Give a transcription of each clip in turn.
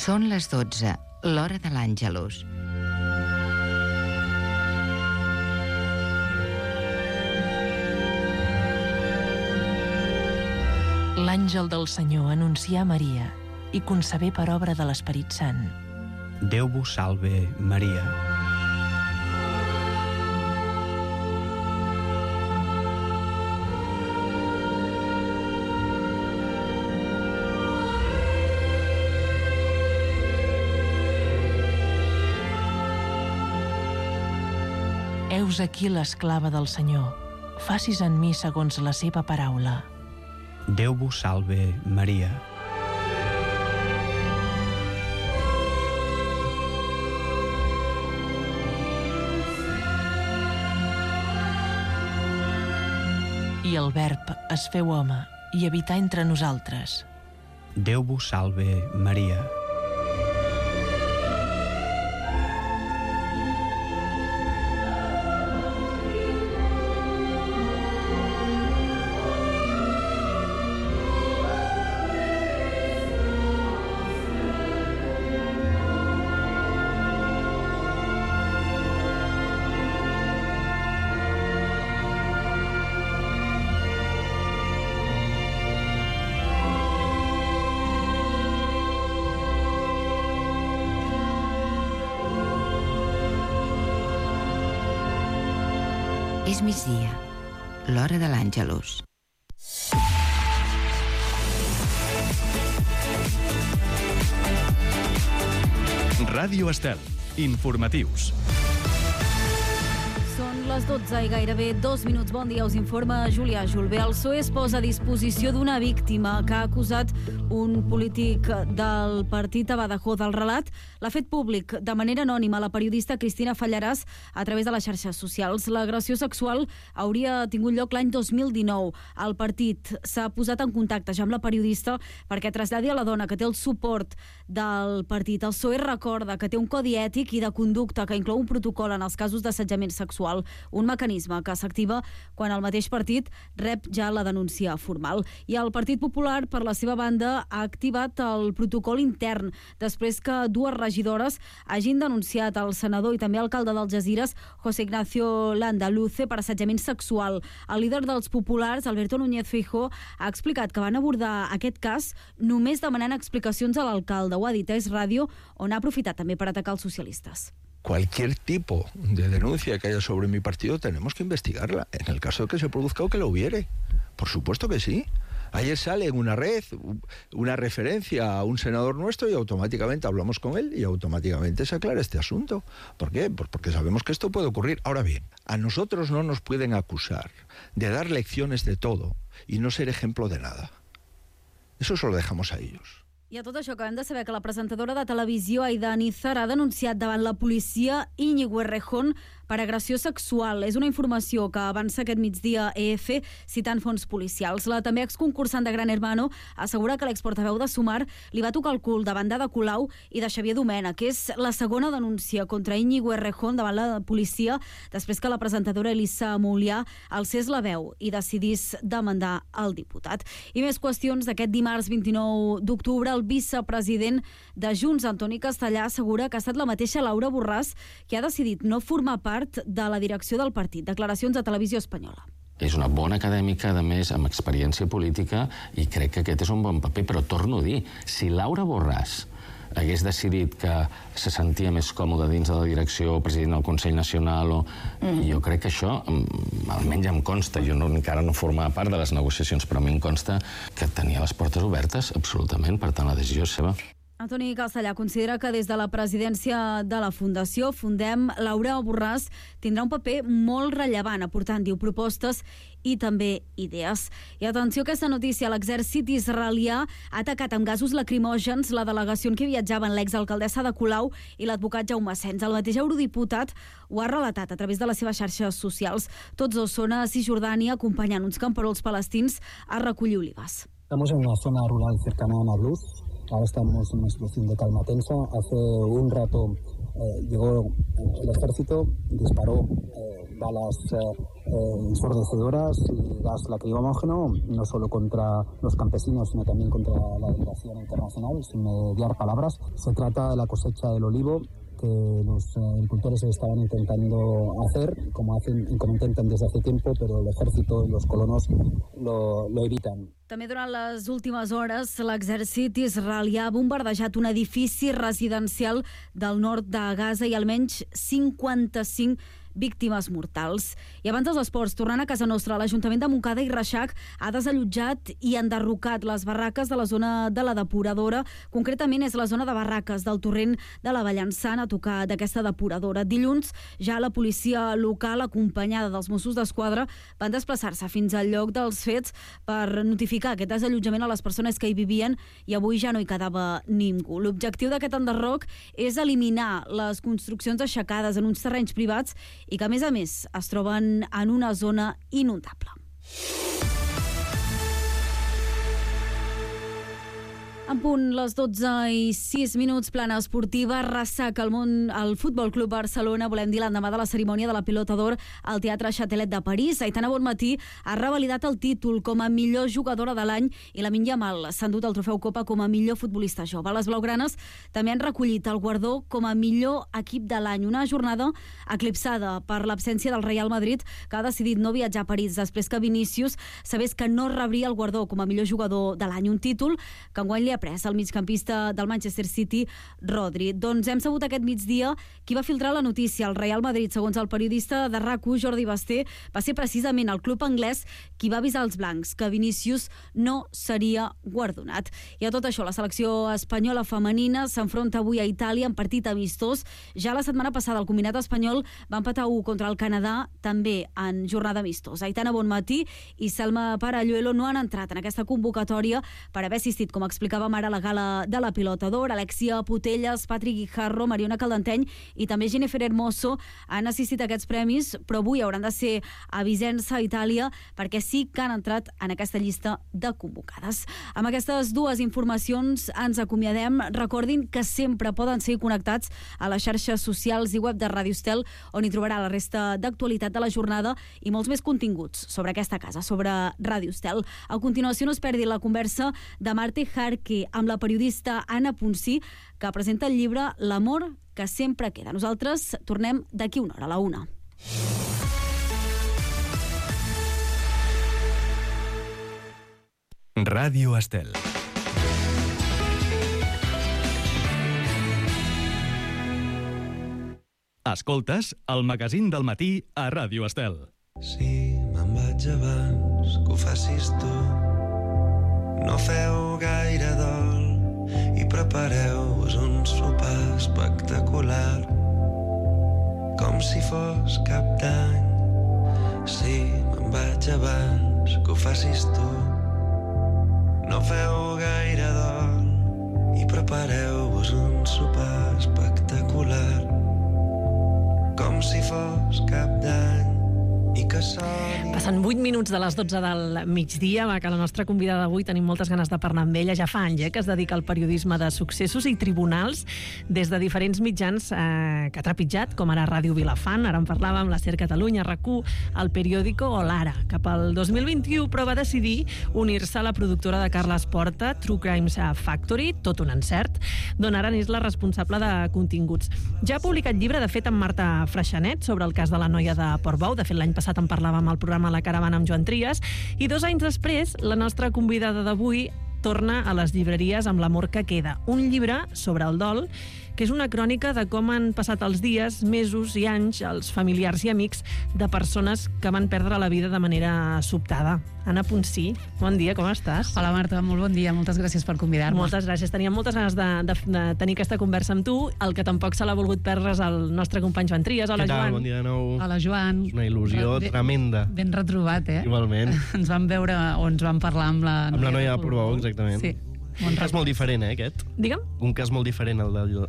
Són les 12, l'hora de l'Àngelus. L'àngel del Senyor anuncià a Maria i concebé per obra de l'Esperit Sant. Déu vos salve, Maria. Heus aquí l'esclava del Senyor. Facis en mi segons la seva paraula. Déu vos salve, Maria. I el Verb es feu home i habità entre nosaltres. Déu vos salve, Maria. És migdia, l'hora de l'Àngelus. Ràdio Estel. Informatius. Són les 12 i gairebé 2 minuts. Bon dia, us informa Julià Julbé. El PSOE es posa a disposició d'una víctima que ha acusat un polític del partit a Badajoz. El relat l'ha fet públic de manera anònima la periodista Cristina Fallaràs a través de les xarxes socials. L'agressió sexual hauria tingut lloc l'any 2019. El partit s'ha posat en contacte ja amb la periodista perquè traslladi a la dona que té el suport del partit. El PSOE recorda que té un codi ètic i de conducta que inclou un protocol en els casos d'assetjament sexual, un mecanisme que s'activa quan el mateix partit rep ja la denúncia formal. I el Partit Popular, per la seva banda, ha activat el protocol intern després que 2 regidores hagin denunciat el senador i també alcalde d'Algesires, José Ignacio Landaluce, per assetjament sexual. El líder dels populars, Alberto Núñez Feijóo, ha explicat que van abordar aquest cas només demanant explicacions a l'alcalde. Ho ha dit a Es Radio, on ha aprofitat també per atacar els socialistes. Cualquier tipo de denuncia que haya sobre mi partido tenemos que investigarla, en el caso de que se produzca o que lo hubiere. Por supuesto que sí. Ayer sale en una red una referencia a un senador nuestro y automáticamente hablamos con él y automáticamente se aclara este asunto. ¿Por qué? Pues porque sabemos que esto puede ocurrir. Ahora bien, a nosotros no nos pueden acusar de dar lecciones de todo y no ser ejemplo de nada. Eso se lo dejamos a ellos. I a tot això acabem de saber que la presentadora de televisió Aida Nízar ha denunciat davant la policia Íñigo Errejón per agressió sexual. És una informació que avança aquest migdia EF citant fonts policials. La també exconcursant de Gran Hermano assegura que l'exportaveu de Sumar li va tocar el cul davant d'Ada Colau i de Xavier Domènech, que és la segona denúncia contra Íñigo Errejón davant la policia després que la presentadora Elisa Moulià alcés la veu i decidís demandar el diputat. I més qüestions d'aquest dimarts 29 d'octubre. El vicepresident de Junts, Antoni Castellà, assegura que ha estat la mateixa Laura Borràs que ha decidit no formar part de la direcció del partit. Declaracions a Televisió Espanyola. És una bona acadèmica, a més, amb experiència política, i crec que aquest és un bon paper, però torno a dir, si Laura Borràs hagués decidit que se sentia més còmode dins de la direcció, president del Consell Nacional, jo crec que això, almenys em consta, jo encara no formava part de les negociacions, però a mi em consta que tenia les portes obertes, absolutament, per tant la decisió és seva. Antoni Castellà considera que des de la presidència de la Fundació Fundem, Laura Borràs tindrà un paper molt rellevant, aportant, diu, propostes i també idees. I atenció a aquesta notícia, l'exèrcit israelià ha atacat amb gasos lacrimògens la delegació en què viatjaven l'exalcaldessa de Colau i l'advocat Jaume Sens. El mateix eurodiputat ho ha relatat a través de les seves xarxes socials. Tots dos són a Cisjordània acompanyant uns camperols palestins a recollir olives. Estamos en una zona rural cercana a Nablus. Ahora estamos en una situación de calma tensa. Hace un rato llegó el ejército, disparó balas ensordecedoras y gas lacrimógeno, no solo contra los campesinos, sino también contra la delegación internacional, sin mediar palabras. Se trata de la cosecha del olivo que los agricultores estaban intentando hacer, como intentan desde hace tiempo, pero el ejército y los colonos lo evitan. També durant les últimes hores, l'exèrcit israelià ha bombardejat un edifici residencial del nord de Gaza i almenys 55 víctimes mortals. I abans dels esports, tornant a casa nostra, l'Ajuntament de Montcada i Reixac ha desallotjat i enderrocat les barraques de la zona de la depuradora. Concretament és la zona de barraques del torrent de la Vallançana a tocar d'aquesta depuradora. Dilluns, ja la policia local, acompanyada dels Mossos d'Esquadra, van desplaçar-se fins al lloc dels fets per notificar aquest desallotjament a les persones que hi vivien i avui ja no hi quedava ningú. L'objectiu d'aquest enderroc és eliminar les construccions aixecades en uns terrenys privats i que, a més, es troben en una zona inundable. En punt, les 12:06, plana esportiva, ressaca el Futbol Club Barcelona. Volem dir l'endemà de la cerimònia de la Pilota d'Or al Teatre Châtelet de París. Aitana Bonmatí ha revalidat el títol com a millor jugadora de l'any i Lamine Yamal s'ha endut el trofeu Copa com a millor futbolista jove. Les blaugranes també han recollit el guardó com a millor equip de l'any. Una jornada eclipsada per l'absència del Real Madrid, que ha decidit no viatjar a París després que Vinícius sabés que no rebria el guardó com a millor jugador de l'any. Un títol que enguany li ha pres el migcampista del Manchester City, Rodri. Doncs hem sabut aquest migdia qui va filtrar la notícia. El Real Madrid, segons el periodista de RAC1, Jordi Basté, va ser precisament el club anglès qui va avisar els blancs que Vinícius no seria guardonat. I a tot això, la selecció espanyola femenina s'enfronta avui a Itàlia en partit amistós. Ja la setmana passada el combinat espanyol va empatar 1 contra el Canadà, també en jornada amistosa. Aitana Bonmatí i Selma Paralluelo no han entrat en aquesta convocatòria per haver assistit, com explicàvem ara, a la gala de la Pilota d'Or. Alexia Putelles, Patrick Guijarro, Mariona Caldenteny i també Jennifer Hermoso han assistit a aquests premis, però avui hauran de ser a Vicenza, Itàlia, perquè sí que han entrat en aquesta llista de convocades. Amb aquestes dues informacions ens acomiadem. Recordin que sempre poden seguir connectats a les xarxes socials i web de Ràdio Estel, on hi trobarà la resta d'actualitat de la jornada i molts més continguts sobre aquesta casa, sobre Ràdio Estel. A continuació no es perdi la conversa de Marte Jarque amb la periodista Anna Ponsí, que presenta el llibre L'amor que sempre queda. Nosaltres tornem d'aquí una hora, a la 1. Ràdio Estel. Escoltes el magazín del matí a Ràdio Estel. Si me'n vaig abans que ho facis tu, no feu gaire dol i prepareu-vos un sopar espectacular, com si fos cap d'any. Si me'n vaig abans que ho facis tu, no feu gaire dol i prepareu-vos un sopar espectacular, com si fos cap d'any. Passen 8 minuts de les 12 del migdia, que la nostra convidada d'avui tenim moltes ganes de parlar amb ella. Ja fa anys que es dedica al periodisme de successos i tribunals des de diferents mitjans que ha trepitjat, com ara Ràdio Vilafant, ara en parlàvem, la SER Catalunya, RAC1, El Periódico o l'Ara. Cap al 2021, però va decidir unir-se a la productora de Carles Porta, True Crimes Factory, tot un encert, d'on ara n'és la responsable de continguts. Ja ha publicat llibre, de fet, amb Marta Freixanet, sobre el cas de la noia de Portbou. De fet, l'any passat en parlàvem al programa La Caravana amb Joan Trias, i 2 anys després la nostra convidada d'avui torna a les llibreries amb L'amor que queda, un llibre sobre el dol, que és una crònica de com han passat els dies, mesos i anys els familiars i amics de persones que van perdre la vida de manera sobtada. Anna Ponsí, bon dia, com estàs? Hola Marta, molt bon dia, moltes gràcies per convidar-me. Moltes gràcies, teníem moltes ganes de tenir aquesta conversa amb tu. El que tampoc se l'ha volgut perdre és el nostre company Joan Trias. Hola, Joan. Bon dia de nou. Hola, Joan. És una il·lusió tremenda. Ben retrobat, Igualment. Ens vam veure o ens vam parlar amb la noia de Portbou, exactament. Sí. Un cas molt diferent, aquest. Digue'm? Un cas molt diferent,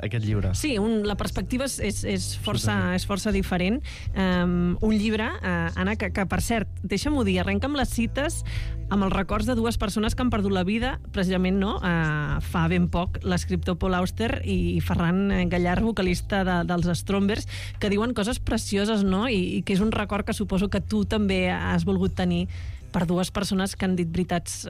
aquest llibre. Sí, la perspectiva és força diferent. Un llibre, Anna, que per cert, deixa'm-ho dir, arrenca amb les cites amb els records de dues persones que han perdut la vida, precisament fa ben poc, l'escriptor Paul Auster i Ferran Gallart, vocalista dels Strombers, que diuen coses precioses, no? I que és un record que suposo que tu també has volgut tenir per dues persones que han dit veritats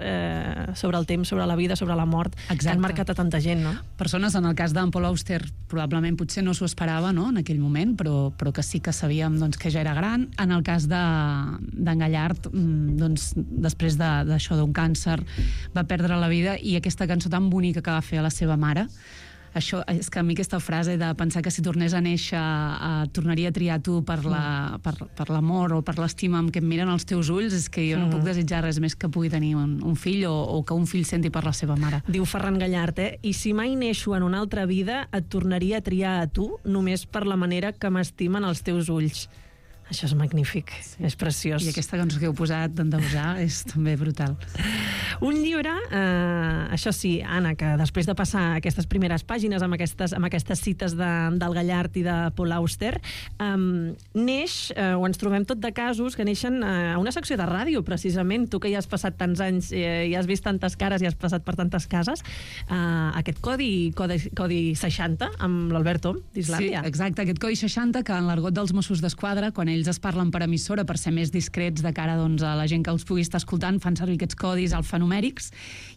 sobre el temps, sobre la vida, sobre la mort, que han marcat a tanta gent, no? Persones, en el cas d'en Paul Auster, probablement potser no s'ho esperava, no?, en aquell moment, però que sí que sabíem que ja era gran. En el cas d'en Gallart, després d'això, d'un càncer, va perdre la vida, i aquesta cançó tan bonica que va fer a la seva mare, això, és que a mi aquesta frase de pensar que si tornés a néixer tornaria a triar tu per l'amor o per l'estima amb què em miren els teus ulls, és que jo no puc desitjar res més que pugui tenir un fill o que un fill senti per la seva mare. Diu Ferran Gallart, i si mai neixo en una altra vida et tornaria a triar a tu només per la manera que m'estimen els teus ulls. Això és magnífic, és preciós. I aquesta cançó que heu posat d'endeusar és també brutal. Un llibre, això sí, Anna, que després de passar aquestes primeres pàgines amb aquestes cites del Gallart i de Paul Auster, neix, o ens trobem tot de casos que neixen a una secció de ràdio, precisament. Tu que ja has passat tants anys i has vist tantes cares i has passat per tantes cases, aquest codi 60 amb l'Albert Om d'Islàndia. Sí, exacte, aquest codi 60 que en l'argot dels Mossos d'Esquadra, quan ells es parlen per emissora per ser més discrets de cara a la gent que els pugui estar escoltant, fan servir aquests codis alfanumèrics,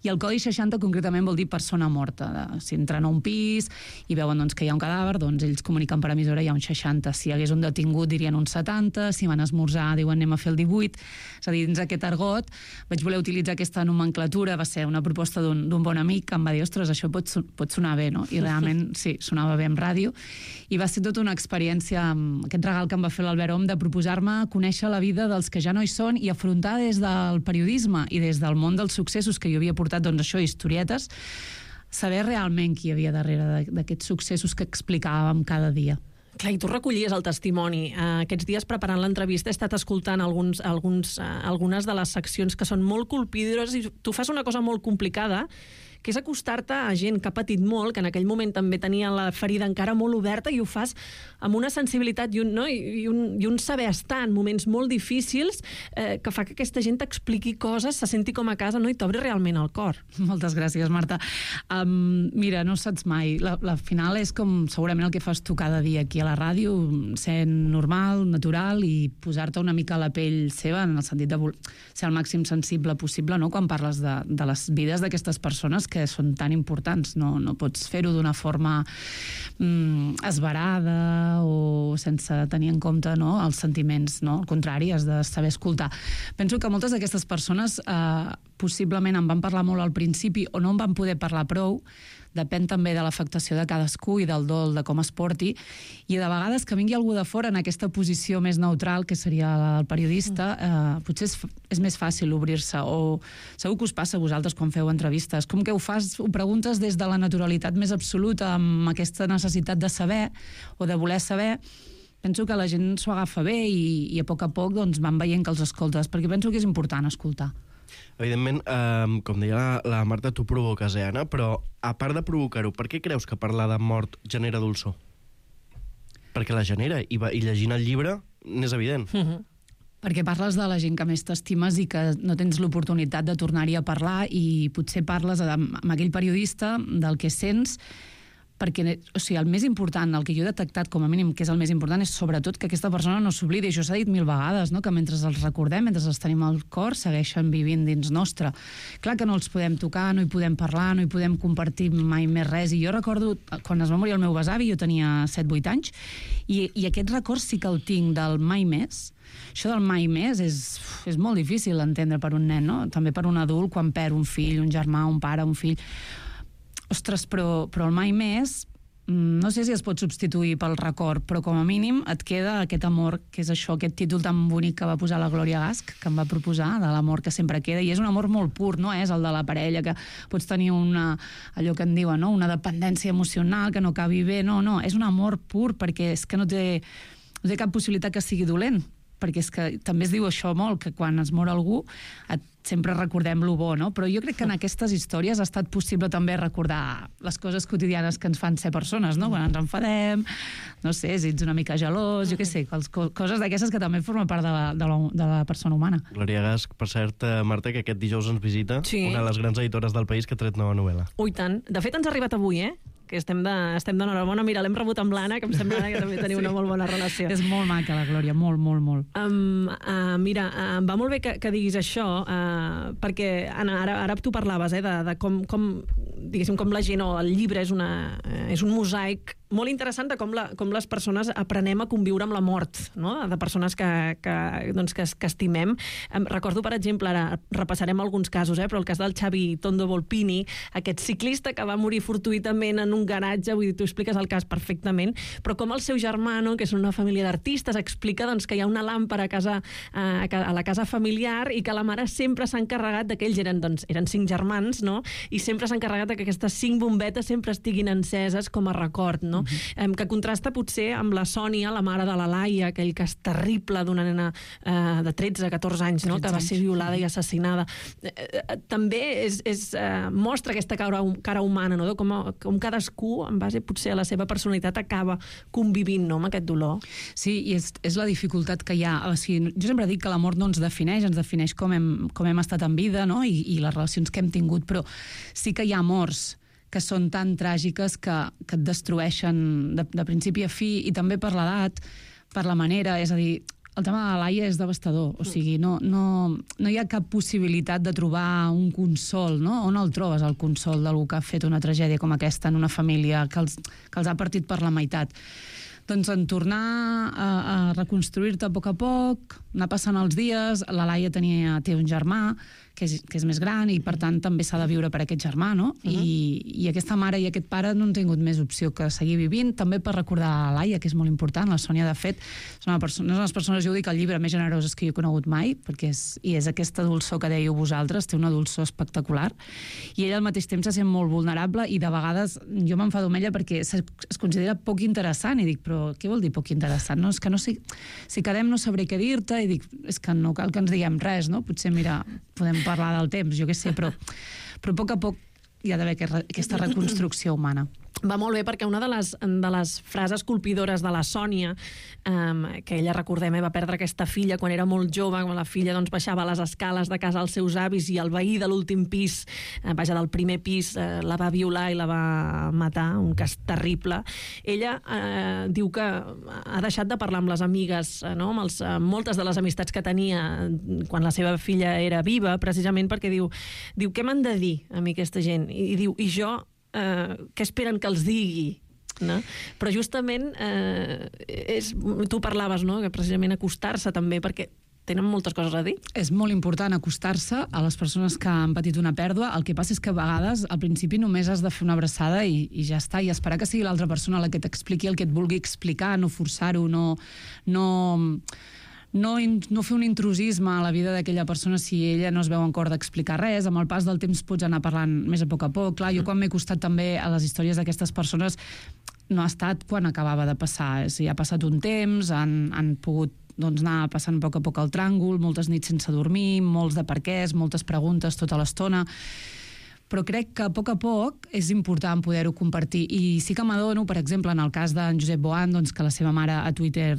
i el codi 60 concretament vol dir persona morta. Si entren a un pis i veuen que hi ha un cadàver, ells comuniquen per emissora, hi ha un 60. Si hi hagués un detingut dirien un 70, si van esmorzar diuen anem a fer el 18. És a dir, dins aquest argot vaig voler utilitzar aquesta nomenclatura, va ser una proposta d'un bon amic que em va dir, ostres, això pot sonar bé, no? I realment sí, sonava bé en ràdio, i va ser tota una experiència, aquest regal que em va fer l'Albert Om, de proposar-me conèixer la vida dels que ja no hi són i afrontar des del periodisme i des del món dels successos que jo havia portat, historietes, saber realment qui hi havia darrere d'aquests successos que explicàvem cada dia. Clar, i tu recollies el testimoni. Aquests dies, preparant l'entrevista, he estat escoltant algunes de les seccions que són molt colpidores, i tu fas una cosa molt complicada, que és acostar-te a gent que ha patit molt, que en aquell moment també tenia la ferida encara molt oberta, i ho fas amb una sensibilitat i un saber estar en moments molt difícils, que fa que aquesta gent t'expliqui coses, se senti com a casa, i t'obri realment el cor. Moltes gràcies, Marta. Mira, no saps mai. La final és com segurament el que fas tu cada dia aquí a la ràdio, ser normal, natural, i posar-te una mica a la pell seva, en el sentit de ser el màxim sensible possible, no?, quan parles de les vides d'aquestes persones que són tan importants. No pots fer-ho d'una forma esverada o sense tenir en compte els sentiments, no? Al contrari, has de saber escoltar. Penso que moltes d'aquestes persones possiblement en van parlar molt al principi o no en van poder parlar prou. Depèn també de l'afectació de cadascú i del dol, de com es porti, i de vegades que vingui algú de fora en aquesta posició més neutral, que seria el periodista, potser és més fàcil obrir-se, o segur que us passa a vosaltres quan feu entrevistes, com que ho preguntes des de la naturalitat més absoluta, amb aquesta necessitat de saber o de voler saber. Penso que la gent s'ho agafa bé i a poc van veient que els escoltes, perquè penso que és important escoltar. Evidentment, com deia la Marta, tu provoques, Anna, però a part de provocar-ho, per què creus que parlar de mort genera dolçor? Perquè la genera, i llegint el llibre n'és evident. Perquè parles de la gent que més t'estimes i que no tens l'oportunitat de tornar-hi a parlar, i potser parles amb aquell periodista del que sents, perquè el més important, el que jo he detectat com a mínim que és el més important, és sobretot que aquesta persona no s'oblidi. Això s'ha dit 1000 vegades, que mentre els recordem, mentre els tenim al cor, segueixen vivint dins nostre. Clar que no els podem tocar, no hi podem parlar, no hi podem compartir mai més res, i jo recordo quan es va morir el meu besavi, jo tenia 7-8 anys, i aquest record sí que el tinc del mai més. Això del mai més és molt difícil d'entendre per un nen, no? També per un adult, quan perd un fill, un germà, un pare, un fill. Ostres, però el mai més, no sé si es pot substituir pel record, però com a mínim et queda aquest amor, que és això, aquest títol tan bonic que va posar la Glòria Gasch, que em va proposar, de l'amor que sempre queda, i és un amor molt pur, no és el de la parella, que pots tenir allò que en diuen, una dependència emocional, que no acabi bé, no, és un amor pur, perquè és que no té cap possibilitat que sigui dolent. perquè és que també es diu això molt, que quan es mor algú sempre recordem lo bo, no? Però jo crec que en aquestes històries ha estat possible també recordar les coses quotidianes que ens fan ser persones, no? Quan ens enfadem, no sé, si ets una mica gelós, jo què sé, coses d'aquestes que també formen part de la persona humana. Glòria Gasch, per cert, Marta, que aquest dijous ens visita una de les grans editores del país que ha tret nova novel·la. Ui, tant. De fet, ens ha arribat avui, que estem d'enhorabona. Mira, l'hem rebut amb l'Anna, que em sembla que també teniu una molt bona relació. És molt maca, la Glòria, molt, molt, molt. Mira, em va molt bé que diguis això, perquè, Anna, ara tu parlaves de com, diguéssim, com la gent o el llibre és un mosaic molt interessant de com les persones aprenem a conviure amb la mort, no? De persones que estimem. Recordo, per exemple, ara repassarem alguns casos, però el cas del Xavi Tondo Volpini, aquest ciclista que va morir fortuïtament en un garatge, vull dir, tu expliques el cas perfectament, però com el seu germà, no, que és una família d'artistes, explica que hi ha una làmpara a la casa familiar i que la mare sempre s'ha encarregat que ells eren 5 germans, no? I sempre s'ha encarregat que aquestes 5 bombetes sempre estiguin enceses com a record, no? Que contrasta potser amb la Sònia, la mare de la Laia, aquell cas terrible d'una nena de 13-14 anys, no? Que va ser violada i assassinada. També mostra aquesta cara humana, no? Com cadascú, en base potser a la seva personalitat, acaba convivint, no? Amb aquest dolor. Sí, i és la dificultat que hi ha. O sigui, jo sempre dic que la mort no ens defineix com hem estat en vida, no? I les relacions que hem tingut, però sí que hi ha morts que són tan tràgiques que et destrueixen de principi a fi, i també per l'edat, per la manera, és a dir, el tema de la Laia és devastador, o sigui, no hi ha cap possibilitat de trobar un consol, no? On el trobes, el consol d'algú que ha fet una tragèdia com aquesta en una família que els ha partit per la meitat? Doncs en tornar a reconstruir-te a poc, anar passant els dies. La Laia té un germà que és més gran i, per tant, també s'ha de viure per aquest germà, no? I aquesta mare i aquest pare no han tingut més opció que seguir vivint, també per recordar la Laia, que és molt important. La Sònia, de fet, és una de les persones, jo ho dic, el llibre més generoses que jo he conegut mai, perquè és aquesta dolçor que dèieu vosaltres, té una dolçor espectacular, i ella al mateix temps se sent molt vulnerable, i de vegades jo m'enfado amb ella perquè es considera poc interessant, i dic, però què vol dir poc interessant? No, és que no sé, si quedem no sabré què dir-te, i dic, és que no cal que ens diguem res, no? Potser, mira, podem parlar del temps, jo què sé, però a poc hi ha d'haver aquesta reconstrucció humana. Va molt bé, perquè una de les frases colpidores de la Sònia, que ella, recordem, va perdre aquesta filla quan era molt jove, quan la filla baixava les escales de casa als seus avis i el veí de l'últim pis, del primer pis, la va violar i la va matar, un cas terrible. Ella diu que ha deixat de parlar amb les amigues, no? Amb moltes de les amistats que tenia quan la seva filla era viva, precisament perquè diu què m'han de dir a mi aquesta gent? I diu, i jo què esperen que els digui? No? Però justament tu parlaves, no? Que precisament acostar-se també, perquè tenen moltes coses a dir. És molt important acostar-se a les persones que han patit una pèrdua. El que passa és que a vegades al principi només has de fer una abraçada i ja està, i esperar que sigui l'altra persona la que t'expliqui el que et vulgui explicar, no forçar-ho, no fer un intrusisme a la vida d'aquella persona si ella no es veu en cor d'explicar res. Amb el pas del temps pots anar parlant més a poc. Clar, jo quan m'he costat també a les històries d'aquestes persones no ha estat quan acabava de passar. Ha passat un temps, han pogut anar passant a poc el tràngol, moltes nits sense dormir, molts de perquès, moltes preguntes tota l'estona. Però crec que a poc és important poder-ho compartir. I sí que m'adono, per exemple, en el cas d'en Josep Boan, que la seva mare a Twitter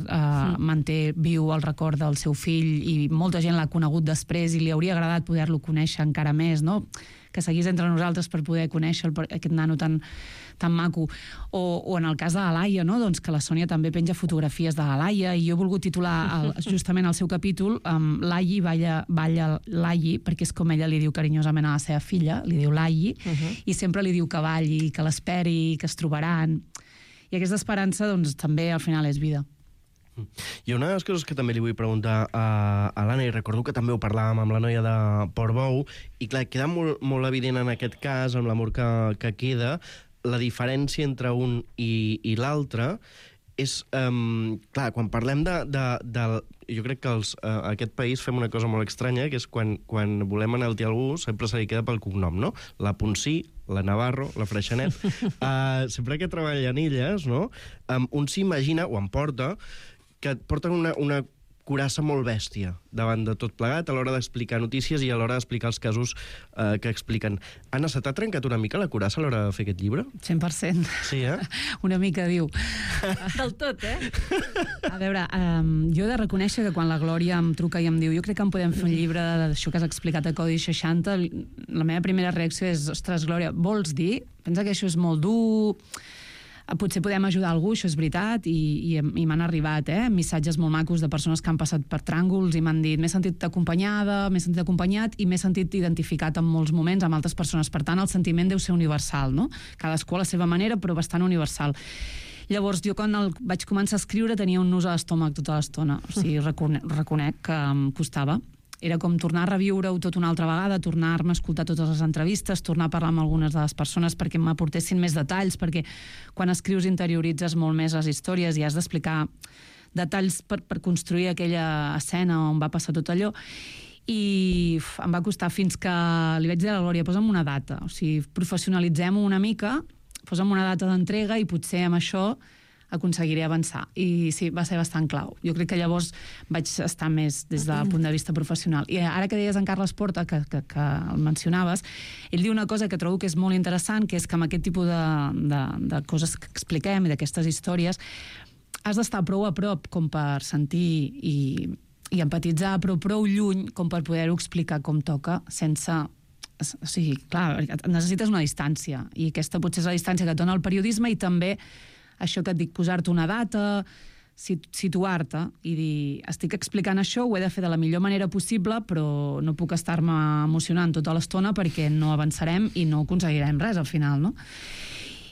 manté viu el record del seu fill, i molta gent l'ha conegut després i li hauria agradat poder-lo conèixer encara més, no? Que seguís entre nosaltres per poder conèixer aquest nano tan maco. O en el cas de la Laia, no? Que la Sònia també penja fotografies de la Laia, i jo he volgut titular justament el seu capítol Laia balla Laia, perquè és com ella li diu carinyosament a la seva filla, li diu Laia, i sempre li diu que balli, que l'esperi, que es trobaran. I aquesta esperança també al final és vida. I una de les coses que també li vull preguntar a l'Anna, i recordo que també ho parlàvem amb la noia de Portbou, i clar, queda molt evident en aquest cas, amb l'amor que queda, la diferència entre un i l'altre és, clar, quan parlem jo crec que aquest país fem una cosa molt estranya, que és quan volem enaltir algú, sempre se li queda pel cognom, no? La Ponsí, la Navarro, la Freixanet. Sempre que treballen elles, no? Un s'imagina, o em porta, que porten una curassa molt bèstia davant de tot plegat a l'hora d'explicar notícies i a l'hora d'explicar els casos que expliquen. Anna, se t'ha trencat una mica la curassa a l'hora de fer aquest llibre? 100%. Sí, Una mica, diu. Del tot, A veure, jo he de reconèixer que quan la Glòria em truca i em diu jo crec que en podem fer un llibre d'això que has explicat a Codi 60, la meva primera reacció és, ostres, Glòria, vols dir? Pensa que això és molt dur... Potser podem ajudar algú, això és veritat, i m'han arribat missatges molt macos de persones que han passat per tràngols i m'han dit m'he sentit acompanyada, m'he sentit acompanyat i m'he sentit identificat en molts moments amb altres persones. Per tant, el sentiment deu ser universal, no? Cadascú a la seva manera, però bastant universal. Llavors, jo quan vaig començar a escriure tenia un nus a l'estómac tota l'estona. O sigui, reconec que em costava. Era com tornar a reviure-ho tot una altra vegada, tornar-me a escoltar totes les entrevistes, tornar a parlar amb algunes de les persones perquè m'aportessin més detalls, perquè quan escrius interioritzes molt més les històries i has d'explicar detalls per construir aquella escena on va passar tot allò. I em va costar fins que li vaig dir a la Glòria, posa'm una data, o sigui, professionalitzem-ho una mica, posa'm una data d'entrega i potser amb això aconseguiré avançar. I sí, va ser bastant clau. Jo crec que llavors vaig estar més des del punt de vista professional. I ara que deies en Carles Porta, que el mencionaves, ell diu una cosa que trobo que és molt interessant, que és que amb aquest tipus de coses que expliquem i d'aquestes històries has d'estar prou a prop com per sentir i empatitzar, però prou lluny com per poder-ho explicar com toca sense... O sigui, clar, necessites una distància i aquesta potser és la distància que et dona el periodisme i també això que et dic, posar-te una data, situar-te i dir, estic explicant això, ho he de fer de la millor manera possible, però no puc estar-me emocionant tota l'estona perquè no avançarem i no aconseguirem res al final, no?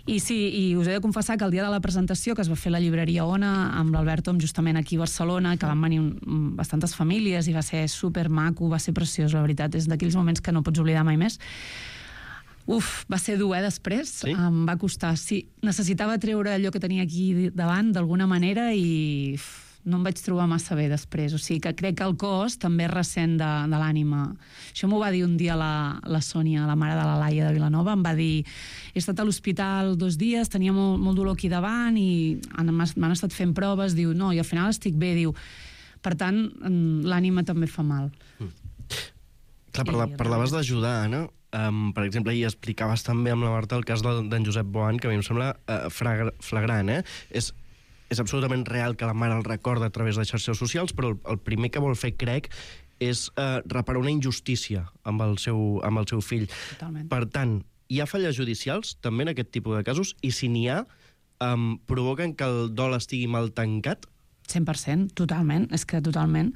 I sí, i us he de confessar que el dia de la presentació que es va fer a la llibreria Ona amb l'Albert Om justament aquí a Barcelona, que van venir bastantes famílies i va ser supermaco, va ser preciós, la veritat, és d'aquells moments que no pots oblidar mai més. Va ser dur, després. Sí? Em va costar, sí. Necessitava treure allò que tenia aquí davant, d'alguna manera, i no em vaig trobar massa bé després. O sigui que crec que el cos també ressent de l'ànima. Això m'ho va dir un dia la Sònia, la mare de la Laia de Vilanova, em va dir, he estat a l'hospital 2 dies, tenia molt dolor aquí davant i m'han estat fent proves, diu, no, i al final estic bé, diu, per tant, l'ànima també fa mal. Clar, parlaves d'ajudar, Anna. Per exemple, ahir explicaves també amb la Marta el cas d'en Josep Boan, que a mi em sembla flagrant. És absolutament real que la mare el recorda a través de xarxes socials, però el primer que vol fer, crec, és reparar una injustícia amb el seu fill. Totalment. Per tant, hi ha falles judicials també en aquest tipus de casos, i si n'hi ha, provoquen que el dol estigui mal tancat? 100%, totalment, és que totalment.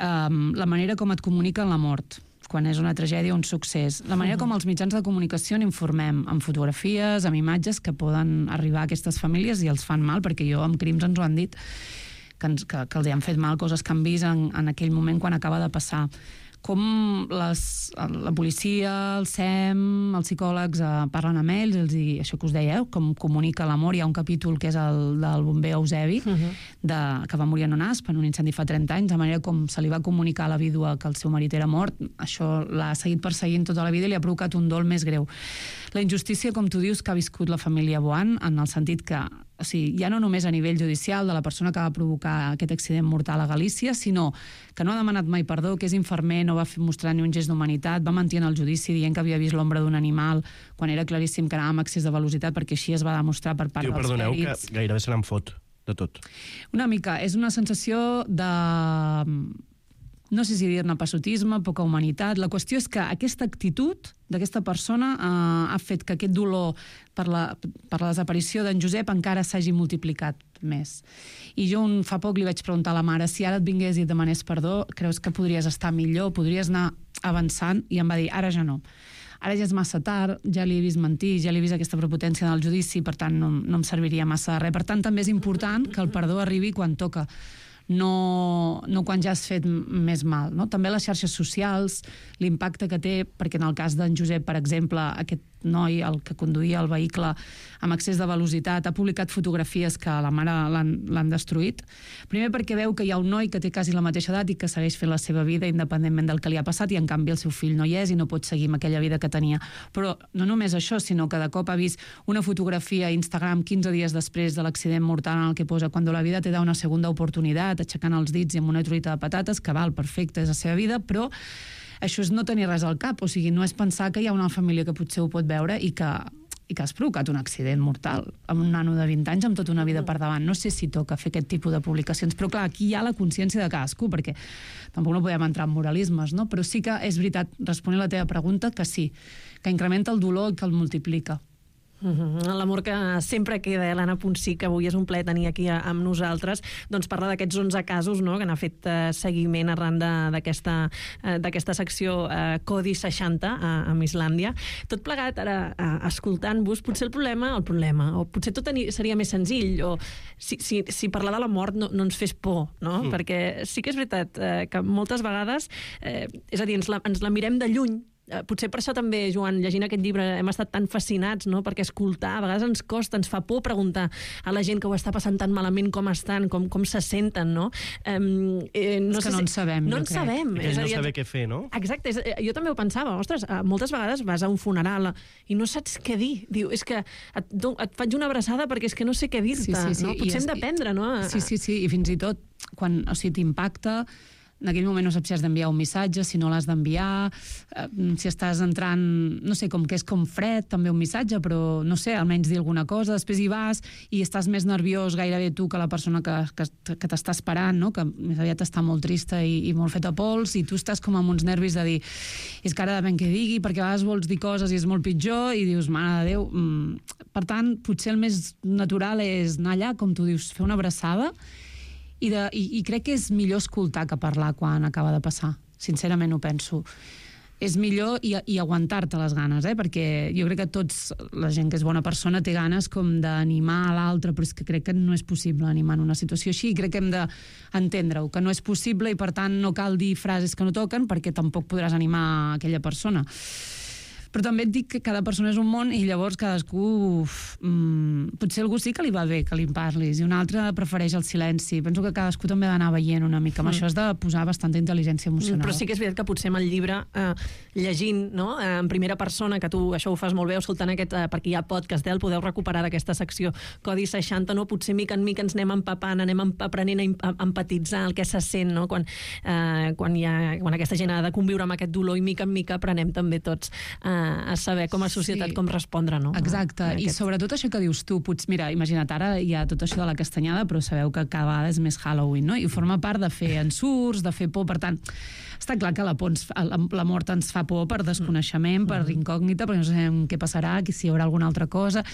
La manera com et comuniquen la mort, quan és una tragèdia o un succés. La manera com els mitjans de comunicació n'informem, amb fotografies, amb imatges que poden arribar a aquestes famílies i els fan mal, perquè amb crims ens ho han dit, que els han fet mal, coses que han vist en aquell moment quan acaba de passar. Com la policia, el SEM, els psicòlegs parlen amb ells, això que us deia, com comunica l'amor. Hi ha un capítol que és el del bomber Eusebi, que va morir en un asp, en un incendi fa 30 anys, de manera com se li va comunicar a la vídua que el seu marit era mort, això l'ha seguit perseguint tota la vida i li ha provocat un dol més greu. La injustícia, com tu dius, que ha viscut la família Boan, en el sentit que ja no només a nivell judicial de la persona que va provocar aquest accident mortal a Galícia, sinó que no ha demanat mai perdó, que és infermer, no va mostrar ni un gest d'humanitat, va mentir en el judici dient que havia vist l'ombra d'un animal quan era claríssim que anava amb excés de velocitat, perquè així es va demostrar per part dels pèrits. Perdoneu, que gairebé se n'en fot de tot. Una mica, és una sensació de... no sé si dir-ne passotisme, poca humanitat. La qüestió és que aquesta actitud d'aquesta persona ha fet que aquest dolor per la desaparició d'en Josep encara s'hagi multiplicat més. I jo fa poc li vaig preguntar a la mare si ara et vingués i et demanés perdó, creus que podries estar millor, podries anar avançant? I em va dir, ara ja no. Ara ja és massa tard, ja li he vist mentir, ja li he vist aquesta prepotència en el judici, per tant no em serviria massa de res. Per tant, també és important que el perdó arribi quan toca, no quan ja has fet més mal. No? També les xarxes socials, l'impacte que té, perquè en el cas d'en Josep, per exemple, aquest noi, el que conduïa el vehicle amb excés de velocitat, ha publicat fotografies que la mare l'han destruït. Primer perquè veu que hi ha un noi que té quasi la mateixa edat i que segueix fent la seva vida independentment del que li ha passat, i en canvi el seu fill no hi és i no pot seguir amb aquella vida que tenia. Però no només això, sinó que de cop ha vist una fotografia a Instagram 15 dies després de l'accident mortal en el que posa "Cuando la vida te da una segunda oportunidad", aixecant els dits i amb una truita de patates, que val, perfecte, és la seva vida, però això és no tenir res al cap, o sigui, no és pensar que hi ha una família que potser ho pot veure i que has provocat un accident mortal amb un nano de 20 anys amb tota una vida per davant. No sé si toca fer aquest tipus de publicacions, però clar, aquí hi ha la consciència de cadascú, perquè tampoc no podem entrar en moralismes, no? Però sí que és veritat, responent a la teva pregunta, que sí, que incrementa el dolor i que el multiplica. L'amor que sempre queda, l'Anna Ponsí, que avui és un plaer tenir aquí amb nosaltres, doncs parla d'aquests 11 casos, no?, que n'ha fet seguiment arran d'aquesta secció Codi 60 amb Islàndia. Tot plegat, ara, escoltant-vos, potser el problema, o potser tot seria més senzill, o si parlar de la mort no ens fes por, no? Perquè sí que és veritat que moltes vegades, és a dir, ens la mirem de lluny. Potser per això també, Joan, llegint aquest llibre hem estat tan fascinats, no?, perquè escoltar a vegades ens costa, ens fa por preguntar a la gent que ho està passant tan malament com estan, com se senten, no? És que no en sabem, no en sabem. És no saber què fer, no? Exacte, jo també ho pensava, ostres, moltes vegades vas a un funeral i no saps què dir. Diu, és que et faig una abraçada perquè és que no sé què dir-te, no? Potser hem d'aprendre, no? Sí, i fins i tot quan t'impacta, en aquell moment no saps si has d'enviar un missatge, si no l'has d'enviar, si estàs entrant, no sé, com que és com fred, també un missatge, però no sé, almenys dir alguna cosa, després hi vas i estàs més nerviós gairebé tu que la persona que t'està esperant, no?, que més aviat està molt trista i molt feta pols, i tu estàs com amb uns nervis de dir, és que ara depèn què digui, perquè a vegades vols dir coses i és molt pitjor, i dius, mare de Déu. Per tant, potser el més natural és anar allà, com tu dius, fer una abraçada, i crec que és millor escoltar que parlar quan acaba de passar. Sincerament ho penso. És millor i aguantar-te les ganes, perquè jo crec que la gent que és bona persona té ganes com d'animar a l'altre, però és que crec que no és possible animar en una situació així, i crec que hem d'entendre-ho, que no és possible, i per tant no cal dir frases que no toquen perquè tampoc podràs animar aquella persona. Però també et dic que cada persona és un món i llavors cadascú... potser algú sí que li va bé que li parlis i un altre prefereix el silenci. Penso que cadascú també ha d'anar veient una mica. Amb això has de posar bastanta intel·ligència emocional. Però sí que és veritat que potser amb el llibre, llegint, no?, en primera persona, que tu això ho fas molt bé, escoltant aquest, perquè hi ha podcast, el podeu recuperar d'aquesta secció Codi 60, no? Potser mica en mica ens anem empapant, anem aprenent a empatitzar el que se sent, no?, quan aquesta gent ha de conviure amb aquest dolor, i mica en mica aprenem també tots a saber com a societat com respondre, no? Exacte, i sobretot això que dius tu, mira, imagina't, ara hi ha tot això de la castanyada, però sabeu que cada vegada és més Halloween, no? I forma part de fer ensurts, de fer por, per tant, està clar que la mort ens fa por per desconeixement, per incògnita, perquè no sabem què passarà, si hi haurà alguna altra cosa.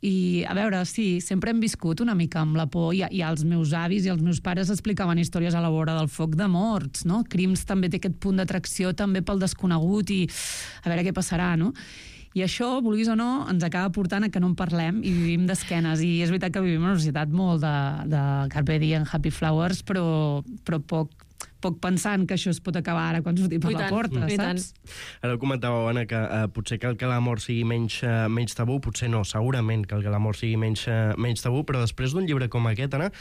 I, a veure, sí, sempre hem viscut una mica amb la por, i els meus avis i els meus pares explicaven històries a la vora del foc de morts, no? Crims també té aquest punt d'atracció també pel desconegut i a veure què passarà, no? I això, vulguis o no, ens acaba portant a que no en parlem i vivim d'esquenes. I és veritat que vivim en una societat molt de Carpe Diem, Happy Flowers, però poc pensant que això es pot acabar ara quan sortim per la porta, saps? Ara ho comentàveu, Anna, que potser cal que la mort sigui menys tabú, potser no, segurament cal que la mort sigui menys tabú, però després d'un llibre com aquest, Anna,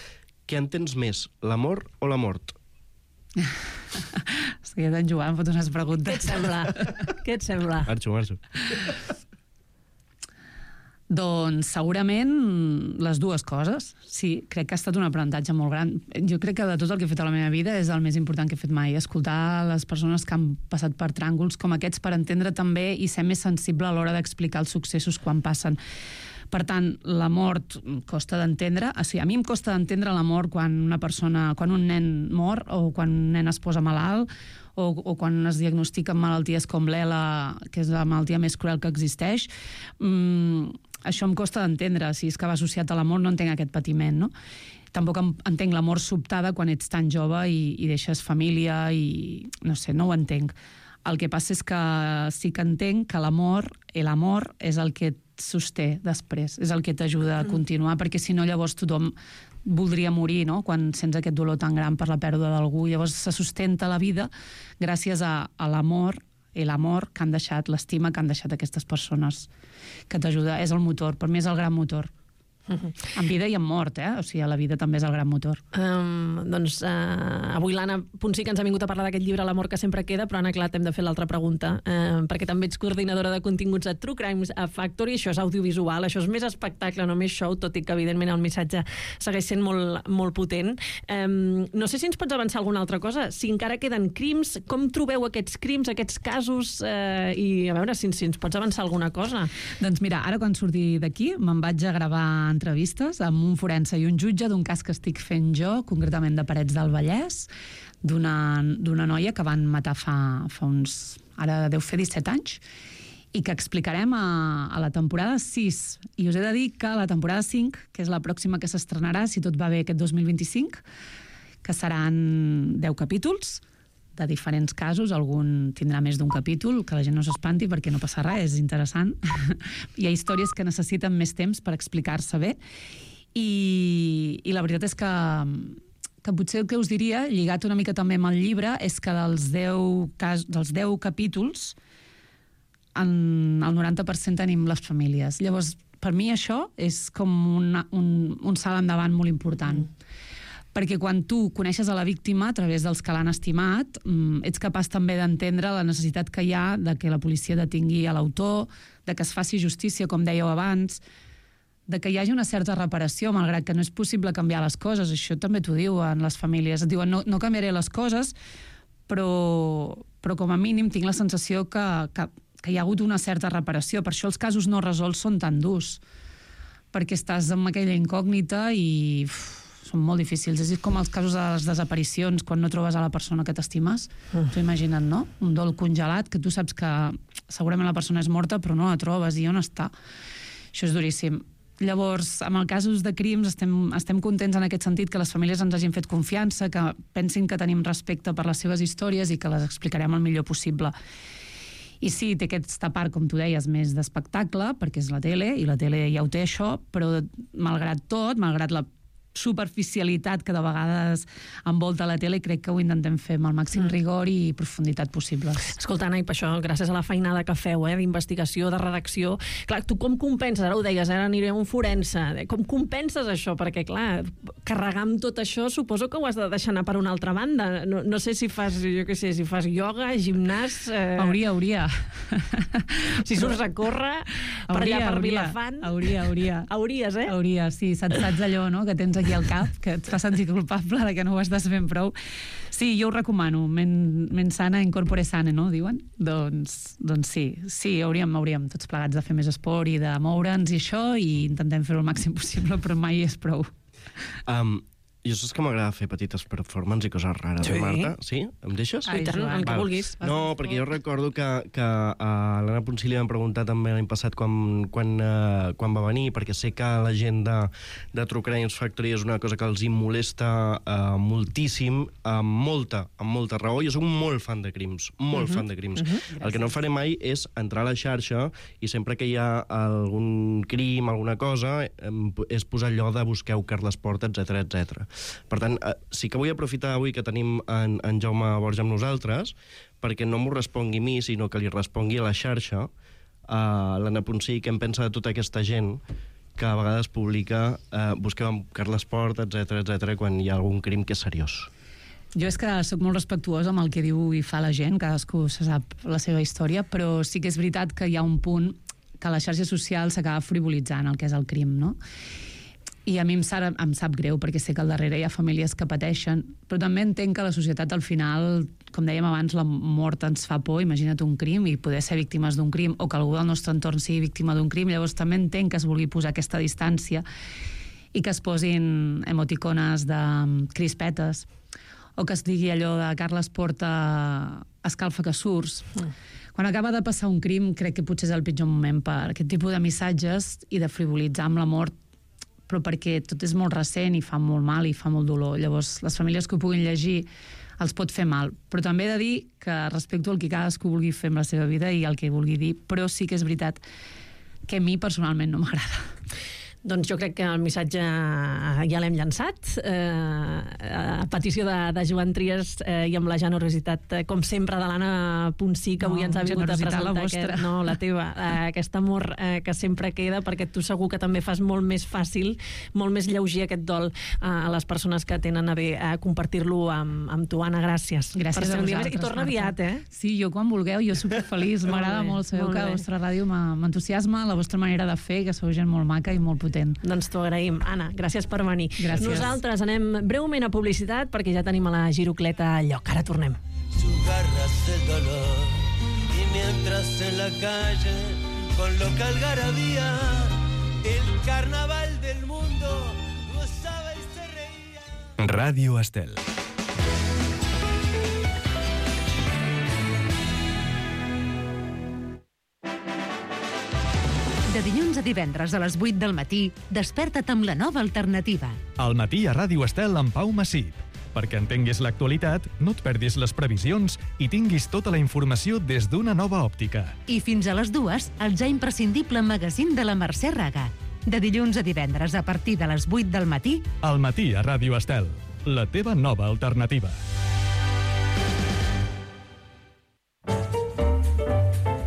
què entens més, l'amor o la mort? Estic en Joan, fot unes preguntes. Què et sembla? Marxo. Doncs segurament les dues coses. Sí, crec que ha estat un aprenentatge molt gran. Jo crec que de tot el que he fet a la meva vida és el més important que he fet mai. Escoltar les persones que han passat per tràngols com aquests per entendre també i ser més sensible a l'hora d'explicar els successos quan passen. Per tant, la mort costa d'entendre. O sigui, a mi em costa d'entendre la mort quan un nen mor o quan un nen es posa malalt o quan es diagnostiquen malalties com l'ELA, que és la malaltia més cruel que existeix. Això em costa d'entendre. Si és que va associat a la mort, no entenc aquest patiment, no? Tampoc entenc la mort sobtada quan ets tan jove i deixes família i... no sé, no ho entenc. El que passa és que sí que entenc que l'amor és el que et sosté després, és el que t'ajuda a continuar, perquè si no llavors tothom voldria morir, no?, quan sents aquest dolor tan gran per la pèrdua d'algú. Llavors se sustenta la vida gràcies a l'amor i l'amor que han deixat, l'estima que han deixat aquestes persones, que t'ajuda, és el motor, per mi és el gran motor. En vida i en mort, o sigui, la vida també és el gran motor. Avui l'Anna Ponsí que ens ha vingut a parlar d'aquest llibre L'amor que sempre queda, però Anna, clar, t'hem de fer l'altra pregunta, perquè també ets coordinadora de continguts a True Crimes a Factory, això és audiovisual, això és més espectacle, no més show, tot i que evidentment el missatge segueix sent molt, molt potent. No sé si ens pots avançar alguna altra cosa, si encara queden crims, com trobeu aquests crims, aquests casos, i a veure si ens pots avançar alguna cosa. Doncs mira, ara quan surti d'aquí me'n vaig a gravar entrevistes amb un forense i un jutge d'un cas que estic fent jo, concretament de Parets del Vallès, d'una noia que van matar fa uns... ara deu fer 17 anys, i que explicarem a la temporada 6. I us he de dir que la temporada 5, que és la pròxima que s'estrenarà, si tot va bé aquest 2025, que seran 10 capítols, de diferents casos, algun tindrà més d'un capítol, que la gent no s'espanti perquè no passa res, és interessant. Hi ha històries que necessiten més temps per explicar-se bé, i la veritat és que potser el que us diria, lligat una mica també amb el llibre, és que dels 10 capítols, el 90% tenim les famílies. Llavors, per mi això és com un salt endavant molt important. Perquè quan tu coneixes a la víctima a través dels que l'han estimat, ets capaç també d'entendre la necessitat que hi ha de que la policia detingui a l'autor, de que es faci justícia, com dèieu abans, de que hi hagi una certa reparació, malgrat que no és possible canviar les coses. Això també t'ho diuen les famílies. Et diuen, no canviaré les coses, però com a mínim tinc la sensació que hi ha hagut una certa reparació. Per això els casos no resolts són tan durs, perquè estàs amb aquella incògnita i... són molt difícils. És com els casos de les desaparicions, quan no trobes a la persona que t'estimes. T'ho imagina't, no? Un dol congelat, que tu saps que segurament la persona és morta, però no la trobes, i on està? Això és duríssim. Llavors, amb els casos de crims, estem contents en aquest sentit que les famílies ens hagin fet confiança, que pensin que tenim respecte per les seves històries i que les explicarem el millor possible. I sí, té aquesta part, com tu deies, més d'espectacle, perquè és la tele, i la tele ja ho té això, però malgrat tot, malgrat la superficialitat que de vegades envolta la tele, crec que ho intentem fer amb el màxim rigor i profunditat possibles. Escolta, Anna, i per això, gràcies a la feinada que feu, d'investigació, de redacció, clar, tu com compenses? Ara ho deies, ara aniré a un forense. Com compenses això? Perquè, clar, carregar amb tot això suposo que ho has de deixar anar per una altra banda. No sé si fas, jo què sé, si fas ioga, gimnàs... Hauria. Si surts a córrer, per allà per Vilafant... Hauries, Hauries, sí, saps allò, no?, que tens aquí al cap, que et fa sentir culpable de que no ho estàs fent prou. Sí, jo ho recomano. Men sana, in corpore sane, no?, diuen? Doncs sí, hauríem tots plegats de fer més esport i de moure'ns i això, i intentem fer-ho el màxim possible, però mai és prou. Jo saps que m'agrada fer petites performances i coses rares, Marta? Sí? Em deixes? I tant, el que vulguis. No, perquè jo recordo que a l'Anna Ponsí li vam preguntar també l'any passat quan va venir, perquè sé que la gent de True Crimes Factory és una cosa que els molesta moltíssim, amb molta raó. Jo soc molt fan de crims, fan de crims. El que no faré mai és entrar a la xarxa i sempre que hi ha algun crim, alguna cosa, és posar allò de busqueu Carles Porta, etc. Per tant, sí que vull aprofitar avui que tenim en Jaume Borja amb nosaltres, perquè no m'ho respongui a mi, sinó que li respongui a la xarxa, a l'Anna Ponsí, què en pensa de tota aquesta gent que a vegades publica busqueu amb Carles Porta, etc, quan hi ha algun crim que és seriós. Jo és que sóc molt respectuosa amb el que diu i fa la gent, cadascú se sap la seva història, però sí que és veritat que hi ha un punt que la xarxa social s'acaba frivolitzant el que és el crim, no? I a mi em sap greu, perquè sé que al darrere hi ha famílies que pateixen, però també entenc que la societat al final, com dèiem abans, la mort ens fa por, imagina't un crim i poder ser víctimes d'un crim, o que algú del nostre entorn sigui víctima d'un crim, llavors també entenc que es vulgui posar aquesta distància i que es posin emoticones de crispetes, o que es digui allò de Carles Porta escalfa que surts. Quan acaba de passar un crim, crec que potser és el pitjor moment per aquest tipus de missatges i de frivolitzar amb la mort, però perquè tot és molt recent i fa molt mal i fa molt dolor. Llavors, les famílies que ho puguin llegir els pot fer mal. Però també he de dir que respecto el que cadascú vulgui fer amb la seva vida i el que vulgui dir, però sí que és veritat que a mi personalment no m'agrada. Doncs jo crec que el missatge ja l'hem llançat. A petició de Joan Trias i amb la generositat, com sempre, de l'Anna Ponsí, que avui ens ha vingut a presentar la teva, aquest amor que sempre queda, perquè tu segur que també fas molt més fàcil, molt més lleuger aquest dol a les persones que tenen a bé compartir-lo amb tu, Anna. Gràcies. Gràcies a vosaltres. I torna aviat, eh? Sí, jo quan vulgueu, jo superfeliç. M'agrada molt, sabeu que la vostra ràdio m'entusiasma, la vostra manera de fer, que sou gent molt maca i molt potent. Doncs t'ho agraïm. Anna, gràcies per venir. Gràcies. Nosaltres anem breument a publicitat perquè ja tenim a la Girocleta a lloc. Ara tornem. Su garras el dolor y mientras en la calle con loca algarabía el carnaval del mundo gozaba y se reía. Ràdio Estel. De dilluns a divendres a les 8 del matí, desperta't amb la nova alternativa. Al matí a Ràdio Estel amb Pau Massip. Perquè entenguis l'actualitat, no et perdis les previsions i tinguis tota la informació des d'una nova òptica. I fins a les 2, el ja imprescindible magazín de la Mercè Raga. De dilluns a divendres a partir de les 8 del matí... Al matí a Ràdio Estel, la teva nova alternativa.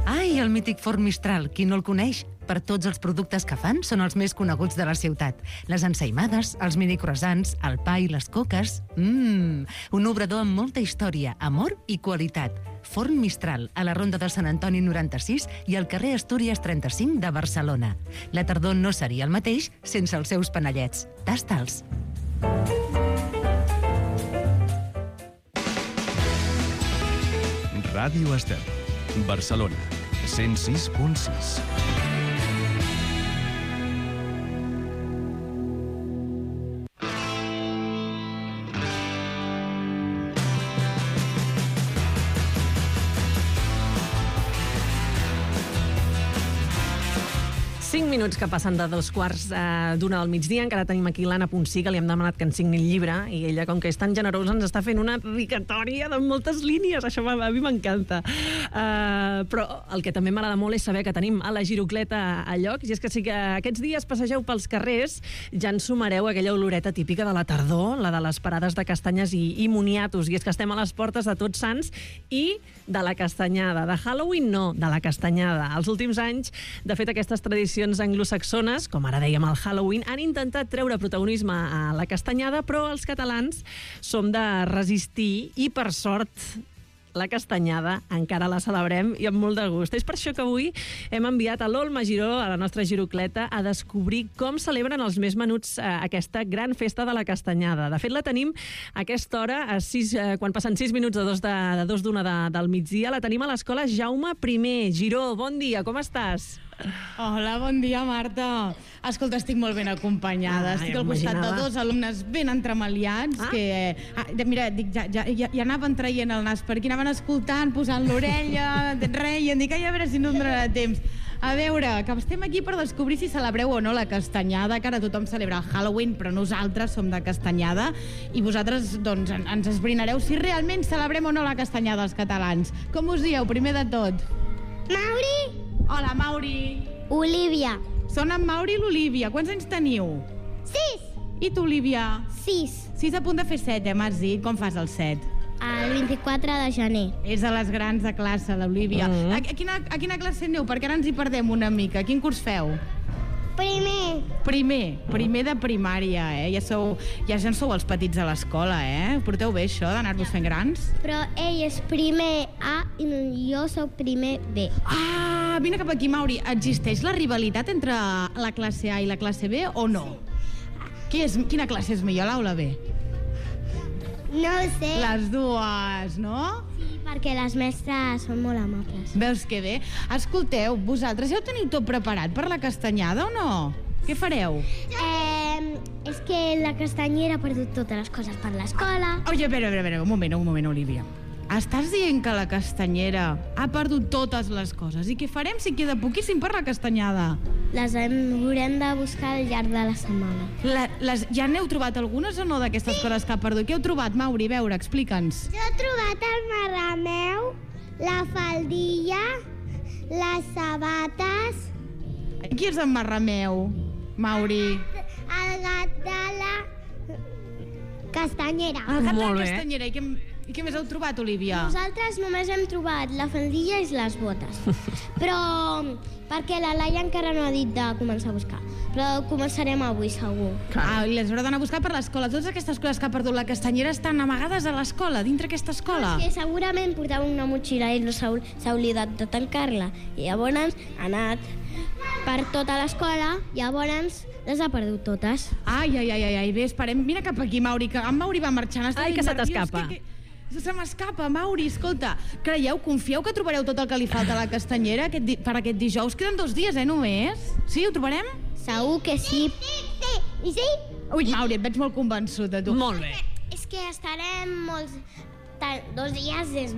Ai, el mític forn Mistral, qui no el coneix? Per tots els productes que fan són els més coneguts de la ciutat. Les ensaïmades, els mini croissants, el pa i les coques... Un obrador amb molta història, amor i qualitat. Forn Mistral, a la Ronda de Sant Antoni 96 i al carrer Astúries 35 de Barcelona. La tardor no seria el mateix sense els seus panellets. Tasta'ls. Ràdio Estel, Barcelona, 106.6. Minuts que passen de 2:15 del migdia. Encara tenim aquí l'Anna Ponsí, que li hem demanat que ens signi el llibre, i ella, com que és tan generosa, ens està fent una dedicatòria de moltes línies. Això a mi m'encanta. Però el que també m'agrada molt és saber que tenim a la Girocleta a lloc, i és que si que aquests dies passegeu pels carrers ja ens sumareu aquella oloreta típica de la tardor, la de les parades de castanyes i moniatos, i és que estem a les portes de Tots Sants i de la castanyada. De Halloween no, de la castanyada. Els últims anys, de fet, aquestes tradicions anglosaxones, com ara dèiem el Halloween, han intentat treure protagonisme a la castanyada, però els catalans som de resistir i, per sort, la castanyada encara la celebrem i amb molt de gust. És per això que avui hem enviat a l'Olma Giró, a la nostra Girocleta, a descobrir com celebren els més menuts aquesta gran festa de la castanyada. De fet, la tenim a aquesta hora, quan passen 6 minuts de 2:01 del migdia, la tenim a l'escola Jaume I. Giró, bon dia, com estàs? Hola, bon dia, Marta. Escolta, estic molt ben acompanyada. Estic al costat de 2 alumnes ben entremaliats que... mira, dic, ja anaven traient el nas per aquí, anaven escoltant, posant l'orella, reien, dic, a veure si no em donarà temps. A veure, que estem aquí per descobrir si celebreu o no la castanyada, que ara tothom celebra el Halloween, però nosaltres som de castanyada, i vosaltres, doncs, ens esbrinareu si realment celebrem o no la castanyada els catalans. Com us dieu, primer de tot? Mauri. Hola, Mauri. Olívia. Són en Mauri i l'Olívia. Quants anys teniu? 6. I tu, Olívia? 6. 6 a punt de fer 7, m'has dit. Com fas el 7? El 24 de gener. És de les grans de classe, l'Olívia. A quina classe aneu? Perquè ara ens hi perdem una mica. Quin curs feu? Primer de primària, Ja sou els petits de l'escola, Porteu bé això d'anar-vos fent grans? Però ell és primer A i jo sóc primer B. Ah, vine cap aquí, Mauri. Existeix la rivalitat entre la classe A i la classe B o no? Quina classe és millor, l'Aula B? No ho sé. Les dues, no? Sí, perquè les mestres són molt amables. Veus que bé? Escolteu, vosaltres ja ho teniu tot preparat per la castanyada o no? Què fareu? És que la castanyera ha perdut totes les coses per l'escola. Oye, a veure, un moment, Olívia. Estàs dient que la castanyera ha perdut totes les coses. I què farem si queda poquíssim per la castanyada? Les haurem de buscar al llarg de la setmana. Ja n'heu trobat algunes o no d'aquestes coses que ha perdut? Què heu trobat, Mauri? A veure, explica'ns. Jo he trobat el marrameu, la faldilla, les sabates... Qui és en Marrameu? Mauri? El gat de la castanyera. El gat de la castanyera. I què més heu trobat, Olivia? Nosaltres només hem trobat la faldilla i les botes. Però perquè la Laia encara no ha dit de començar a buscar. Però començarem avui, segur. I les haurà d'anar a buscar per l'escola. Totes aquestes coses que ha perdut la castanyera estan amagades a l'escola, dintre aquesta escola. Perquè segurament portava una motxilla i no s'ha oblidat de tancar-la. I llavors ha anat per tota l'escola, llavors les ha perdut totes. Ai, bé, esperem. Mira cap aquí, Mauri, que en Mauri va marxant. Ai, que se t'escapa. Se m'escapa, Mauri, escolta. Confieu que trobareu tot el que li falta a la castanyera per aquest dijous? Queden 2 dies, només? Sí, ho trobarem? Segur que sí. Sí. Ui, Mauri, et veig molt convençut, tu. Molt bé. És que estarem molts... 2 dies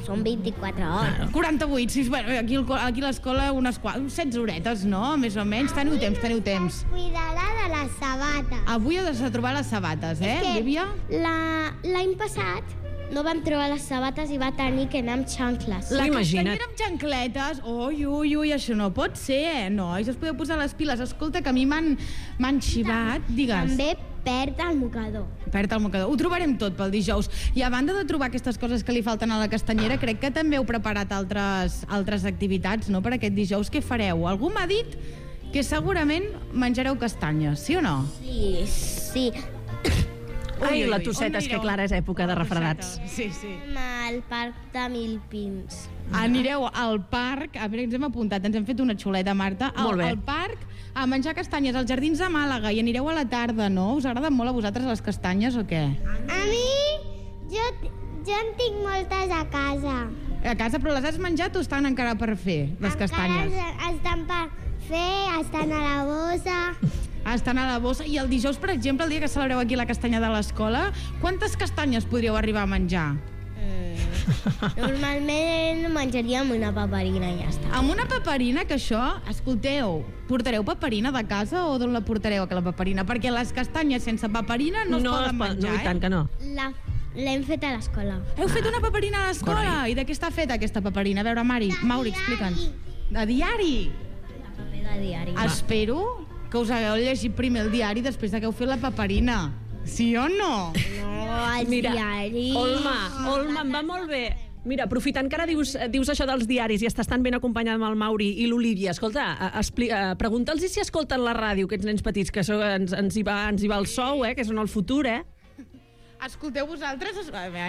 són 24 hores. 48, sí, bueno, aquí a l'escola unes 16 horetes, no? Més o menys. Teniu temps. Cuidarà de les sabates. Avui heu de trobar les sabates, Olivia? L'any passat no vam trobar les sabates i va tenir que anar amb xancles. La castanyera amb xancletes? Ui, això no pot ser, nois. Es podeu posar les piles. Escolta, que a mi m'han xivat. Digues. També perd el mocador. Ho trobarem tot pel dijous. I a banda de trobar aquestes coses que li falten a la castanyera, crec que també heu preparat altres activitats, no?, per aquest dijous. Què fareu? Algú m'ha dit que segurament menjareu castanyes, sí o no? Sí. Ai, la tosseta, és que Clara és època de refredats. Sí. Al parc de Milpins. Anireu al parc, a veure, ens hem apuntat, ens hem fet una xuleta, Marta, al parc a menjar castanyes als Jardins de Màlaga, i anireu a la tarda, no? Us agraden molt a vosaltres les castanyes o què? A mi, jo en tinc moltes a casa. A casa, però les has menjat o estan encara per fer, les castanyes? Encara estan per fer, estan a la bossa. Estan a la bossa. I el dijous, per exemple, el dia que celebreu aquí la castanya de l'escola, quantes castanyes podríeu arribar a menjar? Normalment menjaríem una paperina i ja està. Amb una paperina, que això, escolteu, portareu paperina de casa o d'on la portareu, la paperina? Perquè les castanyes sense paperina no es poden menjar, No, i tant que no. L'hem fet a l'escola. Heu fet una paperina a l'escola? I de què està feta aquesta paperina? A veure, Mauri, explica'ns. De diari? De diari. Espero que us hagueu llegit primer el diari després que heu fet la paperina. Sí o no? No, el diari. Olma, em va molt bé. Mira, aprofitant que ara dius això dels diaris i estàs tan ben acompanyada amb el Mauri i l'Olivia, escolta, pregunta'ls si escolten la ràdio, aquests nens petits, que ens hi va el sou, que són el futur, Escolteu vosaltres...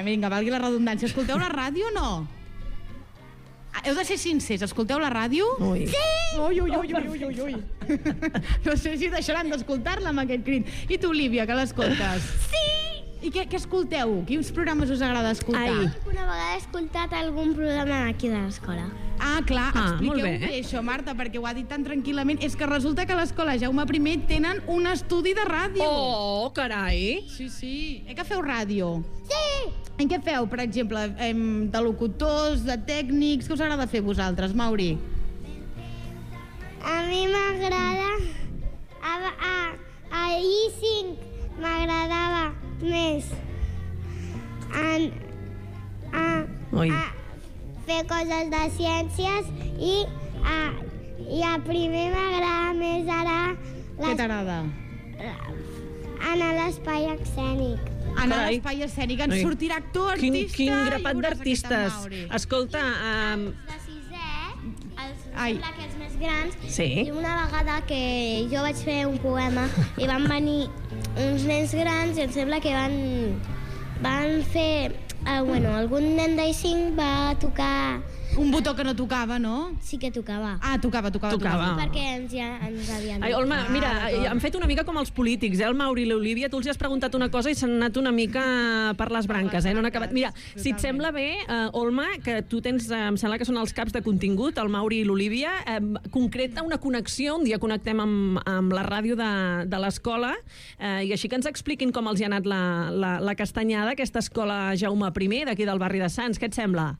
Vinga, valgui la redundància. Escolteu la ràdio o no? Heu de ser sincers, escolteu la ràdio? Ui. Sí! Ui. No sé si deixaran d'escoltar-la amb aquest crit. I tu, Olivia, que l'escoltes? Sí! I què escolteu? Quins programes us agrada escoltar? Una vegada he escoltat algun programa aquí de l'escola. Ah, clar, expliqueu bé això, Marta, perquè ho ha dit tan tranquil·lament. És que resulta que a l'escola Jaume I tenen un estudi de ràdio. Oh, carai! Sí. Que feu ràdio? Sí! En què feu, per exemple, de locutors, de tècnics? Què us agrada fer vosaltres, Mauri? A mi m'agrada... A I5 m'agradava més a fer coses de ciències i a primer m'agrada més ara... Què t'agrada? Anar a l'espai escènic. Anar a l'espai escènic. Ens sortirà actor, artista... Quin grapat d'artistes. Escolta... Els de sisè, sembla que els més grans, i una vegada que jo vaig fer un poema i van venir uns nens grans i em sembla que van fer... algun nen d'I5 va tocar... Un botó que no tocava, no? Sí que tocava. Ah, tocava. Sí, perquè ens havien... Ai, Olma, mira, han fet una mica com els polítics, el Mauri i l'Olivia, tu els has preguntat una cosa i s'han anat una mica per les branques, no han acabat... Mira, si et sembla bé, Olma, que tu tens, em sembla que són els caps de contingut, el Mauri i l'Olivia, concreta una connexió, un dia connectem amb la ràdio de l'escola, i així que ens expliquin com els hi ha anat la castanyada, aquesta escola Jaume I, d'aquí del barri de Sants. Què et sembla?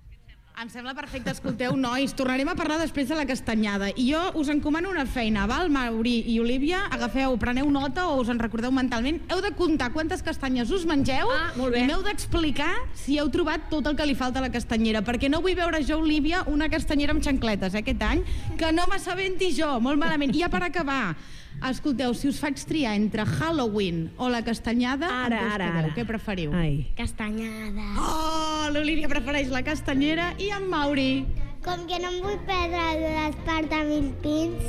Em sembla perfecte. Escolteu, nois, tornarem a parlar després de la castanyada. I jo us encomano una feina, val? Mauri i Olivia, preneu nota o us en recordeu mentalment. Heu de comptar quantes castanyes us mengeu i m'heu d'explicar si heu trobat tot el que li falta a la castanyera, perquè no vull veure jo, Olivia, una castanyera amb xancletes aquest any, que no m'assabenti jo, molt malament. I ja per acabar, Escolteu, si us faig triar entre Halloween o la castanyada, ara. Què preferiu? Castanyada. Oh, l'Olivia prefereix la castanyera i en Mauri. Com que no em vull perdre l'Espart a Mil Pins,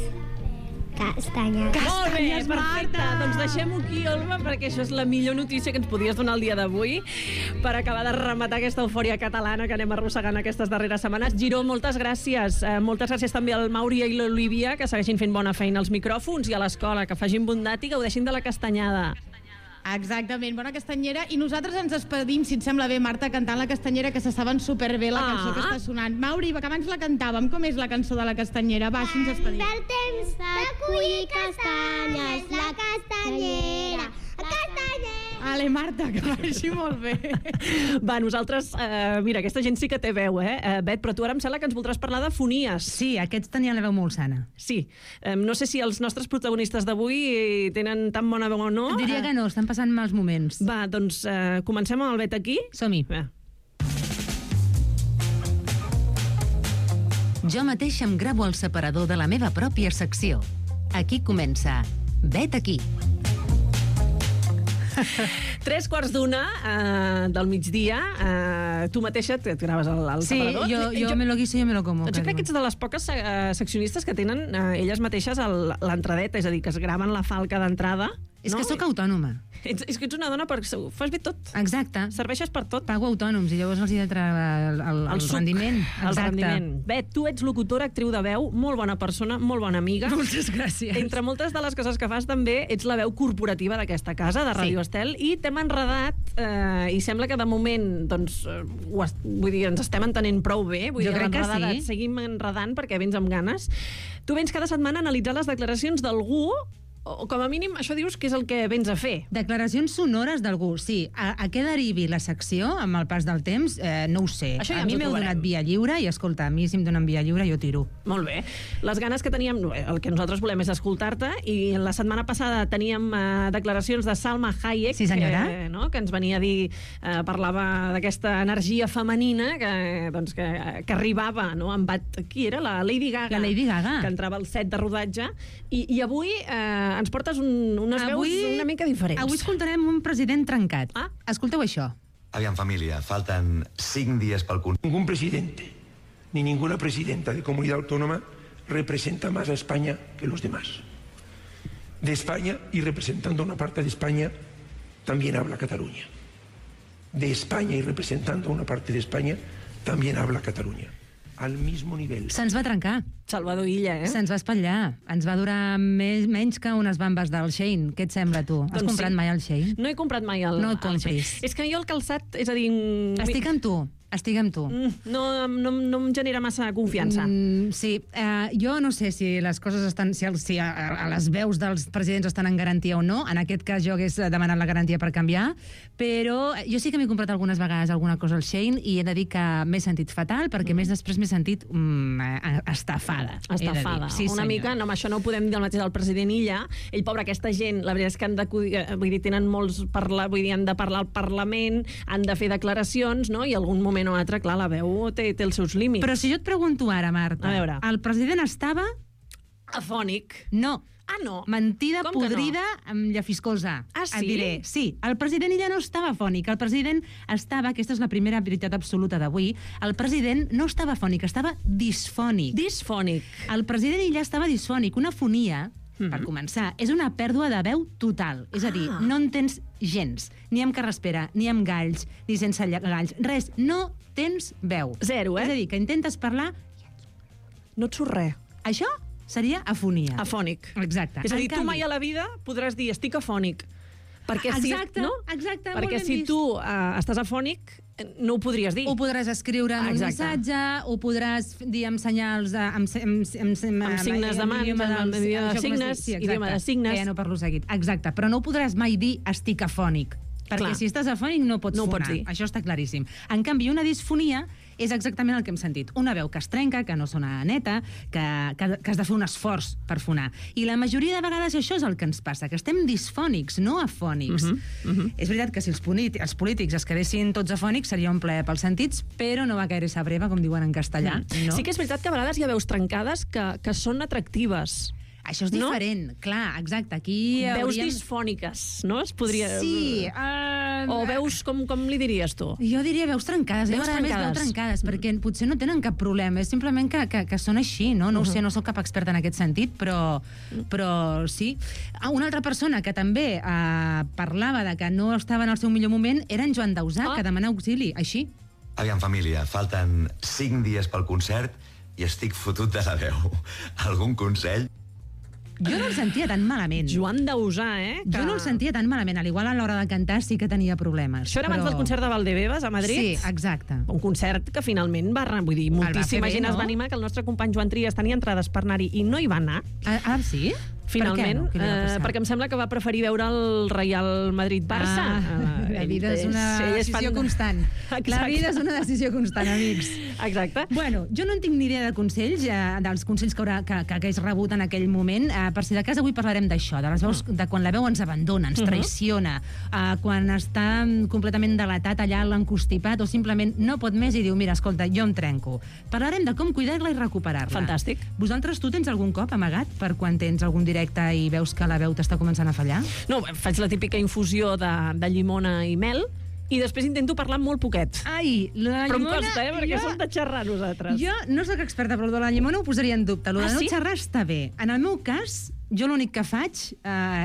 castanyada. Molt bé, perfecte. Doncs deixem-ho aquí, Olga, perquè això és la millor notícia que ens podies donar el dia d'avui per acabar de rematar aquesta eufòria catalana que anem arrossegant aquestes darreres setmanes. Giró, moltes gràcies. Moltes gràcies també al Mauri i l'Olivia, que segueixin fent bona feina als micròfons, i a l'escola, que facin bondat i gaudeixin de la castanyada. Exactament, bona castanyera. I nosaltres ens despedim, si et sembla bé, Marta, cantant la castanyera, que se saben superbé la cançó que està sonant. Mauri, que abans la cantàvem, com és la cançó de la castanyera? Va, si ens despedim. Ve el temps de collir castanyes, la castanyera, la castanyera. Ale, Marta, que vagi molt bé. Va, nosaltres... mira, aquesta gent sí que té veu, Bet, però tu ara em sembla que ens voldràs parlar de fonies. Sí, aquests tenien la veu molt sana. Sí. No sé si els nostres protagonistes d'avui tenen tan bona veu o no. Diria que no, estan passant mals moments. Va, doncs comencem amb el Bet aquí. Som-hi. Jo mateix em gravo el separador de la meva pròpia secció. Aquí comença Bet aquí. 3:15 del migdia, tu mateixa et graves el separador. Sí, jo me lo guiso, jo me lo como. Jo crec que ets de les poques seccionistes que tenen elles mateixes l'entradeta, és a dir, que es graven la falca d'entrada. És que sóc autònoma. És que ets una dona perquè fas bé tot. Exacte. Serveixes per tot. Pago autònoms i llavors els hi he de treure el rendiment. El rendiment. Bet, tu ets locutora, actriu de veu, molt bona persona, molt bona amiga. Moltes gràcies. Entre moltes de les coses que fas també ets la veu corporativa d'aquesta casa, de Ràdio Estel, i t'hem enredat i sembla que de moment doncs, vull dir, ens estem entenent prou bé. Vull jo dir, crec que sí. Et seguim enredant perquè vens amb ganes. Tu vens cada setmana a analitzar les declaracions d'algú, o com a mínim això dius que és el que vens a fer. Declaracions sonores d'algú, sí. A què derivi la secció amb el pas del temps, no ho sé. Això ja a mi m'heu donat via lliure i, escolta, a mi si em donen via lliure jo tiro. Molt bé. Les ganes que teníem, el que nosaltres volem és escoltar-te, i la setmana passada teníem declaracions de Salma Hayek, sí, senyora. Que ens venia a dir, parlava d'aquesta energia femenina que arribava, no? Qui era? La Lady Gaga. La Lady Gaga. Que entrava al set de rodatge. I avui ens portes unes veus una mica diferents. Avui escoltarem un president trencat. Escolteu això. Aviam, família, falten 5 dies pel curs. Ningún presidente ni ninguna presidenta de comunidad autónoma representa más a España que los demás. De España, y representando una parte de España, también habla Cataluña. De España y representando una parte de España, también habla Cataluña. Al mismo nivel. Se'ns va trencar. Salvador Illa, Se'ns va espatllar. Ens va durar menys que unes bambes del Shein. Què et sembla, tu? Has comprat mai el Shein? No he comprat mai el Shein. No el compris. És que jo el calçat, és a dir... Estic amb tu. No em genera massa confiança. Sí, jo no sé si les coses estan... Si les veus dels presidents estan en garantia o no. En aquest cas jo hagués demanat la garantia per canviar, però jo sí que m'he comprat algunes vegades alguna cosa al Shein i he de dir que m'he sentit fatal perquè més després m'he sentit estafada. Estafada. Sí, una mica, no, això no ho podem dir el mateix del president Illa. Ell, pobre, aquesta gent, la veritat és que tenen molts... han de parlar al Parlament, han de fer declaracions, no? I algun moment o altre, clar, la veu té els seus límits. Però si jo et pregunto ara, Marta, a veure, el president estava... afònic. No. Ah, no? Mentida podrida amb llafiscosa. Ah, sí? Et diré. Sí, el president Illa no estava afònic. El president estava, aquesta és la primera veritat absoluta d'avui, el president no estava afònic, estava disfònic. Disfònic. El president Illa estava disfònic. Una fonia, per començar, és una pèrdua de veu total. És a dir, no en tens gens. Ni amb carraspera, ni amb galls, ni sense galls. Res, no tens veu. Zero, És a dir, que intentes parlar... No et surt res. Això seria afonia. Afònic. Exacte. És a dir, tu mai a la vida podràs dir estic afònic. Perquè exacte, no? Exacte, perquè si tu estàs afònic, no ho podries dir. Ho podràs escriure en un missatge, ho podràs dir amb senyals... amb signes de mans, amb idioma de signes, idioma de signes. No parlo seguit. Exacte, però no ho podràs mai dir estic afònic. Perquè si estàs afònic no pots fonar. Això està claríssim. En canvi, una disfonia és exactament el que hem sentit. Una veu que es trenca, que no sona neta, que has de fer un esforç per fonar. I la majoria de vegades això és el que ens passa, que estem disfònics, no afònics. És veritat que si els polítics es quedessin tots afònics seria un plaer pels sentits, però no va caer esa breva, com diuen en castellà. Sí que és veritat que a vegades hi ha veus trencades que són atractives. Això és diferent, clar, exacte. Aquí veus disfòniques, no? Es podria... Sí. O veus, com li diries tu? Jo diria veus trencades. Jo a més veu trencades, perquè potser no tenen cap problema. És simplement que són així, no? No ho sé, no sóc cap experta en aquest sentit, però sí. Una altra persona que també parlava de que no estava en el seu millor moment era en Joan Dausà, que demana auxili, així. Aviam, família, falten 5 dies pel concert i estic fotut de la veu. Algun consell? Jo no el sentia tan malament. Joan Dausà, Jo no el sentia tan malament. Al igual a l'hora de cantar sí que tenia problemes. Això era abans del concert de Valdebebas a Madrid? Sí, exacte. Un concert que finalment vull dir, moltíssima gent es va animar, que el nostre company Joan Trias tenia entrades per anar-hi i no hi va anar. Ah, sí? Finalment, perquè em sembla que va preferir veure el Real Madrid-Barça. La vida és una decisió constant. La vida és una decisió constant, amics. Exacte. Bueno, jo no en tinc ni idea de consells, dels consells que hagués rebut en aquell moment. Per si de cas, avui parlarem d'això, de les veus, de quan la veu ens abandona, ens traiciona, quan està completament delatat allà l'encostipat o simplement no pot més i diu, mira, escolta, jo em trenco. Parlarem de com cuidar-la i recuperar-la. Fantàstic. Vosaltres, tu tens algun cop amagat per quan tens algun directe i veus que la veu t'està començant a fallar? No, faig la típica infusió de llimona i mel i després intento parlar molt poquet. Ai, la però llimona... Però em costa, perquè som de xerrar nosaltres. Jo no soc experta, però el de la llimona ho posaria en dubte. El de no xerrar està bé. En el meu cas, jo l'únic que faig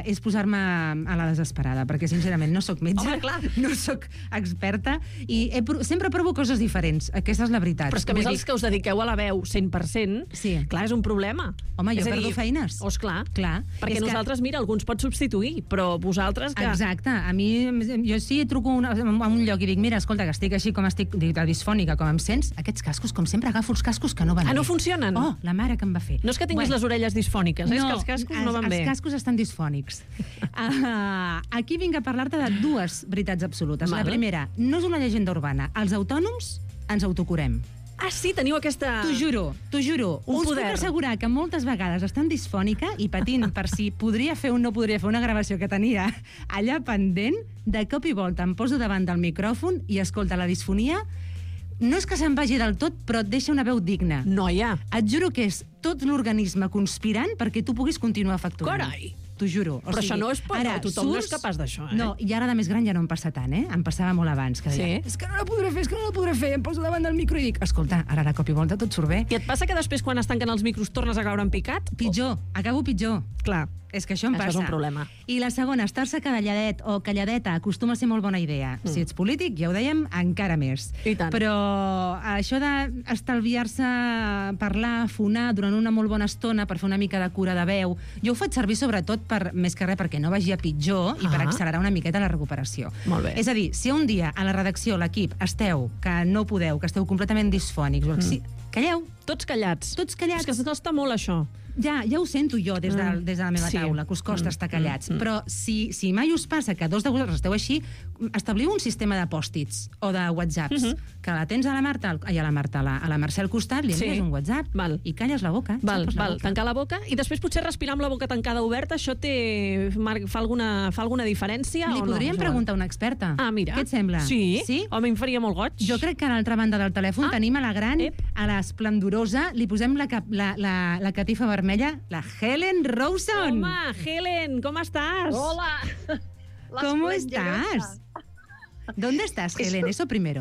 és posar-me a la desesperada, perquè sincerament no sóc metge, no sóc experta i sempre provo coses diferents. Aquesta és la veritat. Però és que més els que us dediqueu a la veu 100%, clar, és un problema. Home, jo perdo feines. Clar. Perquè nosaltres, mira, algú ens pot substituir, però vosaltres que... Exacte. A mi, jo sí truco a un lloc i dic, mira, escolta, que estic així com estic disfònica, com em sents, aquests cascos, com sempre, agafo els cascos que no van bé. No funcionen? Oh, la mare que em va fer. No és que tinguis les orelles disfòniques, és que els cascos no van bé. Els cascos estan disfònics. Aquí vinc a parlar-te de dues veritats absolutes. La primera, no és una llegenda urbana. Els autònoms ens autocurem. Ah, sí? Teniu aquesta... T'ho juro. Un Us poder. puc assegurar que moltes vegades estan disfònica i patint per si podria fer o no podria fer una gravació que tenia allà pendent, de cop i volta em poso davant del micròfon i escolta, la disfonia no és que se'n vagi del tot, però et deixa una veu digna. Noia. Et juro que és tot l'organisme conspirant perquè tu puguis continuar facturant. Carai! T'ho juro. Però això no és per... Tothom no és capaç d'això, No, i ara de més gran ja no em passa tant, Em passava molt abans. Que deia, és que no la podré fer, em poso davant del micro i dic, escolta, ara de cop i volta tot surt bé. I et passa que després, quan es tanquen els micros, tornes a caure en picat? Pitjor, acabo pitjor. Clar. És que això em passa. Això és un problema. I la segona, estar-se calladet o calladeta acostuma a ser molt bona idea. Si ets polític, ja ho dèiem, encara més. I tant. Però això d'estalviar-se parlar, fonar durant una molt bona estona per fer una mica de cura de veu, jo ho faig servir sobretot més que res perquè no vagi a pitjor i per accelerar una miqueta la recuperació. Molt bé. És a dir, si un dia a la redacció, l'equip, esteu, que no podeu, que esteu completament disfònics, calleu. Tots callats. Tots callats. És que costa molt, això. Ja ho sento jo des de la meva taula, que us costa estar callats. Però si mai us passa que dos de vosaltres esteu així, establiu un sistema de pòstits o de whatsapps, que la tens a la Marta, a la Mercè al costat, li envies un whatsapp i calles la boca. Tancar la boca i després potser respirar amb la boca tancada oberta, això fa alguna diferència o no? Li podríem preguntar a una experta. Ah, mira. Què et sembla? Sí? Home, em faria molt goig. Jo crec que a l'altra banda del telèfon tenim a la gran, a l'esplendorosa, li posem la catifa vermella, la Helen Rawson. Home, Helen, ¿cómo estás? Hola. ¿Cómo estás? ¿Dónde estás, Helen? Eso primero.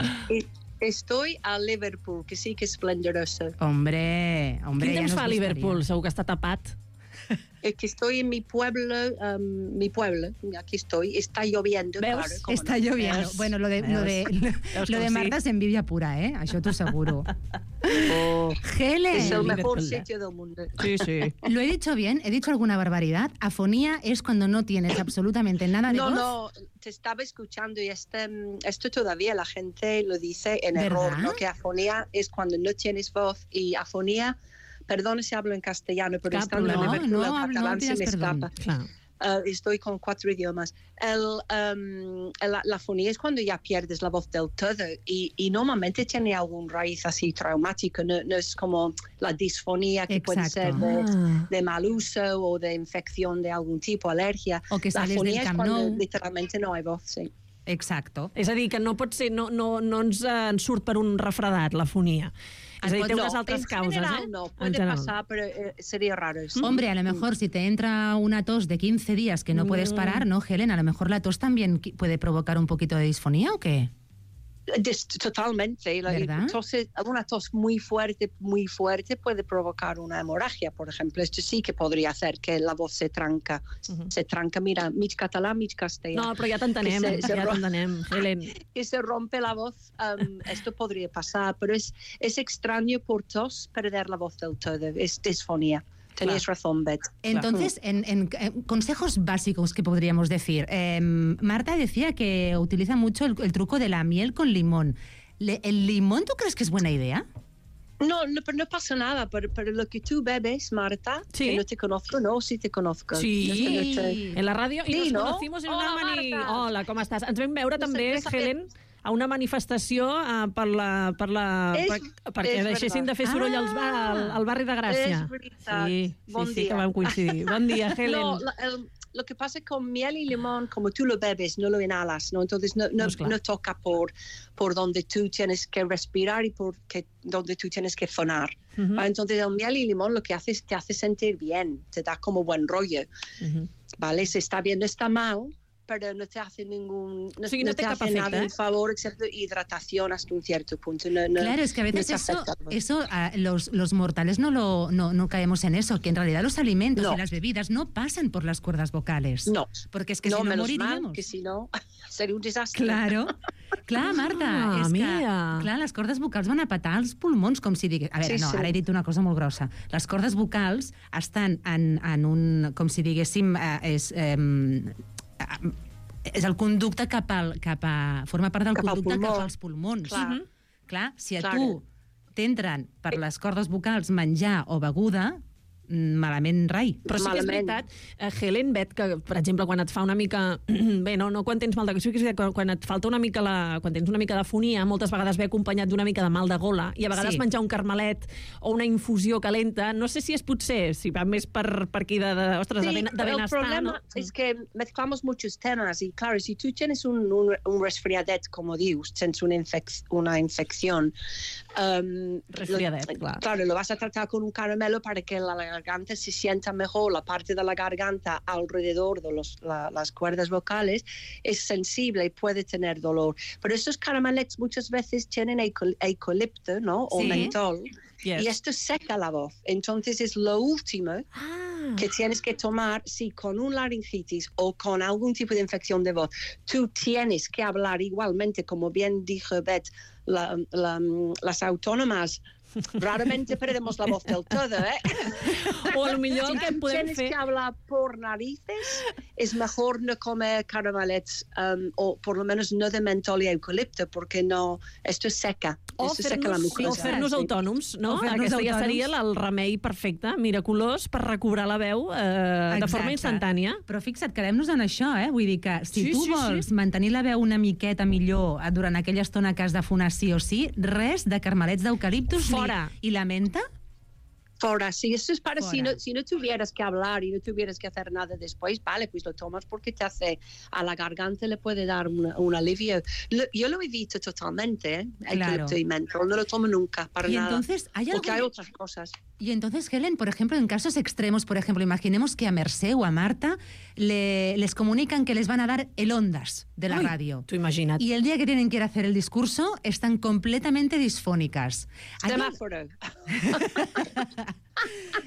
Estoy a Liverpool, que sí que és esplendorosa. Hombre, Quin temps fa a Liverpool? Segur que està tapat. Es que estoy en mi pueblo, aquí estoy, está lloviendo. ¿Veus? Claro, está lloviendo. ¿Ves? Bueno, lo de Marta es envidia pura, Això t'ho asseguro. Helen. Es el mejor sitio del mundo. Sí. ¿Lo he dicho bien? ¿He dicho alguna barbaridad? Afonía es cuando no tienes absolutamente nada de voz. No, te estaba escuchando y esto todavía la gente lo dice en error, ¿no? Que afonía es cuando no tienes voz y afonía... Perdón si hablo en castellano, pero estando en Liverpool el catalán se me escapa. Estoy con 4 idiomas. La fonía es cuando ya pierdes la voz del todo y normalmente tiene algún raíz así traumático, no es como la disfonía que puede ser de mal uso o de infección de algún tipo, alergia. O que la sales fonía del es cuando literalmente no hay voz, sí. Exacto. És a dir, que no pot ser, no ens surt per un refredat, la fonia. És a dir, té unes altres causes, general, no, puede pasar, pero sería raro. Hombre, a lo mejor si te entra una tos de 15 días que no puedes parar, ¿no, Helen? A lo mejor la tos también puede provocar un poquito de disfonía, ¿o qué? Totalmente. Una tos muy fuerte puede provocar una hemorragia, por ejemplo. Esto sí que podría hacer que la voz se tranca. Se tranca, mira, mig català, mig castellà. No, però ja t'entenem, Helen. Que se rompe la voz. Esto podría pasar, pero es extraño por tos perder la voz del todo. Es disfonía. Tenías razón, Beth. Entonces, en consejos básicos que podríamos decir, Marta decía que utiliza mucho el truco de la miel con limón. ¿El limón tú crees que es buena idea? No pasa nada, pero lo que tú bebes, Marta, que no te conozco, no, sí te conozco. Sí, en la ràdio, i nos conocimos en una Hola, com estàs? Ens vam veure també, Helen, a una manifestació perquè deixessin de fer soroll al barri de Gràcia. És veritat. Sí, que vam coincidir. Bon dia, Helen. No, lo que pasa con miel y limón, como tú lo bebes, no lo inhalas, ¿no? Entonces no toca por donde tú tienes que respirar y donde tú tienes que fonar. Entonces el miel y limón lo que hace es te hace sentir bien, te da como buen rollo. ¿Vale? Si está bien, no está mal, pero no te hace ningún nada en favor, excepto hidratación hasta un cierto punto. Claro, es que a veces eso los mortales no caemos en eso, que en realidad los alimentos y las bebidas no pasan por las cuerdas vocales. No. Porque es que si no moriríamos. Mal, que si no sería un desastre. Claro. Clar, Marta, és que les cordes vocals van a petar els pulmons, com si digués... A veure, ara he dit una cosa molt grossa. Les cordes vocals estan en un... com si diguéssim... és el conducte forma part del conducte cap als pulmons. Clar, si a tu t'entren per les cordes vocals menjar o beguda, malament rai. Però sí que és veritat, Helen, Bet, que per exemple quan et fa una mica... Bé, no quan tens mal de... Quan et falta una mica quan tens una mica de fonia, moltes vegades ve acompanyat d'una mica de mal de gola, i a vegades menjar un carmelet o una infusió calenta, no sé si es potser, si va més per aquí de benestar, el problema es que mezclamos muchos temas y claro, si tú tienes un resfriadet, como dius, tens una infección, resfriadet, claro, lo vas a tratar con un caramelo para que la garganta se sienta mejor, la parte de la garganta alrededor de las cuerdas vocales es sensible y puede tener dolor. Pero estos caramelets muchas veces tienen eucalipto, ¿no? O mentol. Y esto seca la voz. Entonces es lo último que tienes que tomar si con un laringitis o con algún tipo de infección de voz tú tienes que hablar igualmente, como bien dijo Beth, las autónomas raramente perdemos la voz del todo, O a lo millor el que podem fer... Si tienes que hablar por narices, es mejor no comer caramelets, o por lo menos no de mentol y eucalipto, porque esto seca. O fer-nos autònoms, no? Aquesta ja seria el remei perfecte, miraculós, per recobrar la veu de forma instantània. Però fixa't, quedem-nos en això, Vull dir que si tu vols mantenir la veu una miqueta millor durant aquella estona que has de fonar sí o sí, res de carmelets d'eucaliptus i la menta? Fora, sí, eso es para si no tuvieras que hablar y no tuvieras que hacer nada después, vale, pues lo tomas porque te hace, a la garganta le puede dar un alivio. Yo lo evito totalmente, eucalipto y mentol, no lo tomo nunca, para nada. Entonces, porque hay otras cosas. Y entonces, Helen, por ejemplo, en casos extremos, por ejemplo, imaginemos que a Mercè o a Marta les comunican que les van a dar el ondas de la radio. Tú imagínate. Y el día que tienen que ir a hacer el discurso están completamente disfónicas. Semáforo.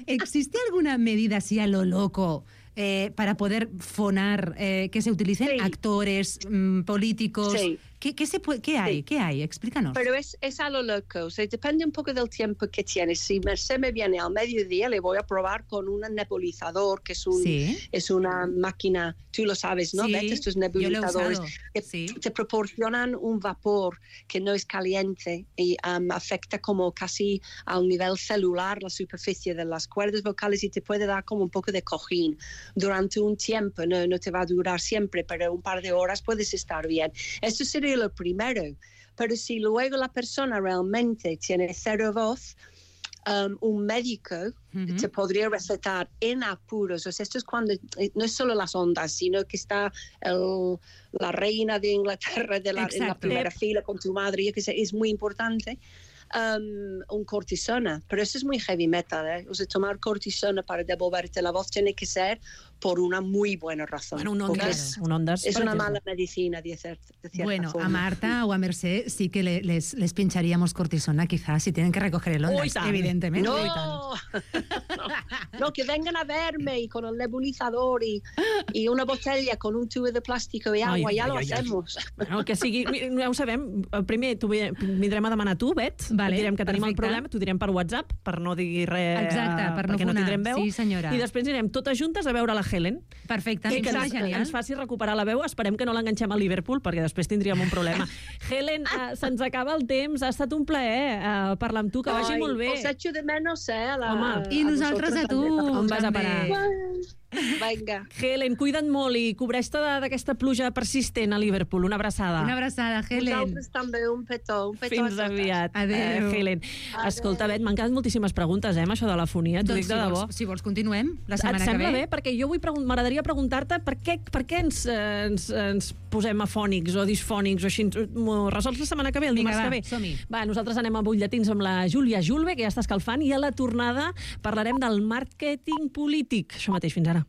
¿Existe alguna medida así a lo loco para poder fonar, que se utilicen actores, políticos? Sí. ¿Qué hay? Explícanos. Pero es a lo loco, o sea, depende un poco del tiempo que tienes. Si Mercè me viene al mediodía, le voy a probar con un nebulizador, que es una máquina, tú lo sabes, ¿no? ¿Ves? Estos nebulizadores que te proporcionan un vapor que no es caliente y afecta como casi al nivel celular la superficie de las cuerdas vocales y te puede dar como un poco de cojín durante un tiempo. No te va a durar siempre, pero un par de horas puedes estar bien. Esto sería lo primero, pero si luego la persona realmente tiene cero voz, un médico te podría recetar en apuros. O sea, esto es cuando no es solo las ondas, sino que está la reina de Inglaterra en la primera fila con tu madre, yo que sé, es muy importante. Un cortisona, pero eso es muy heavy metal, ¿eh? O sea, tomar cortisona para devolverte la voz tiene que ser por una muy buena razón. Bueno, un Ondas. Es una mala medicina, de cierta bueno, forma. a Marta o a Mercè sí que les pincharíamos cortisona, quizás, si tienen que recoger el Ondas, evidentemente. No, que vengan a verme y con el nebulizador y una botella con un tubo de plástico y agua, ja lo hacemos. Bueno, que sigui, ja ho sabem, primer vindrem a demanar a tu, Bet, et direm que tenim el problema, t'ho direm per WhatsApp, per no dir res, perquè no tindrem veu, i després anirem totes juntes a veure la Helen. Perfecte, que ens faci recuperar la veu. Esperem que no l'enganxem a Liverpool, perquè després tindríem un problema. Helen, se'ns acaba el temps, ha estat un plaer parlar amb tu, que vagi molt bé. Os echo de menos, I nosaltres a tu. On vas a parar? Vinga. Helen, cuida't molt i cobreix-te d'aquesta pluja persistent a Liverpool. Una abraçada. Una abraçada, Helen. Vosaltres també, un petó. Fins aviat. Adéu. Helen. Escolta, Bet, m'han quedat moltíssimes preguntes, amb això de la fonia. T'ho dic de debò. Si vols, continuem la setmana que ve. Et sembla bé? Perquè jo m'agradaria preguntar-te per què ens posem afònics o disfònics o així. M'ho resols la setmana que ve, el dimarts que ve? Som-hi. Va, nosaltres anem a butlletins amb la Júlia Julve, que ja està escalfant, i a la tornada parlarem del màrqueting polític. Això mateix, fins ara.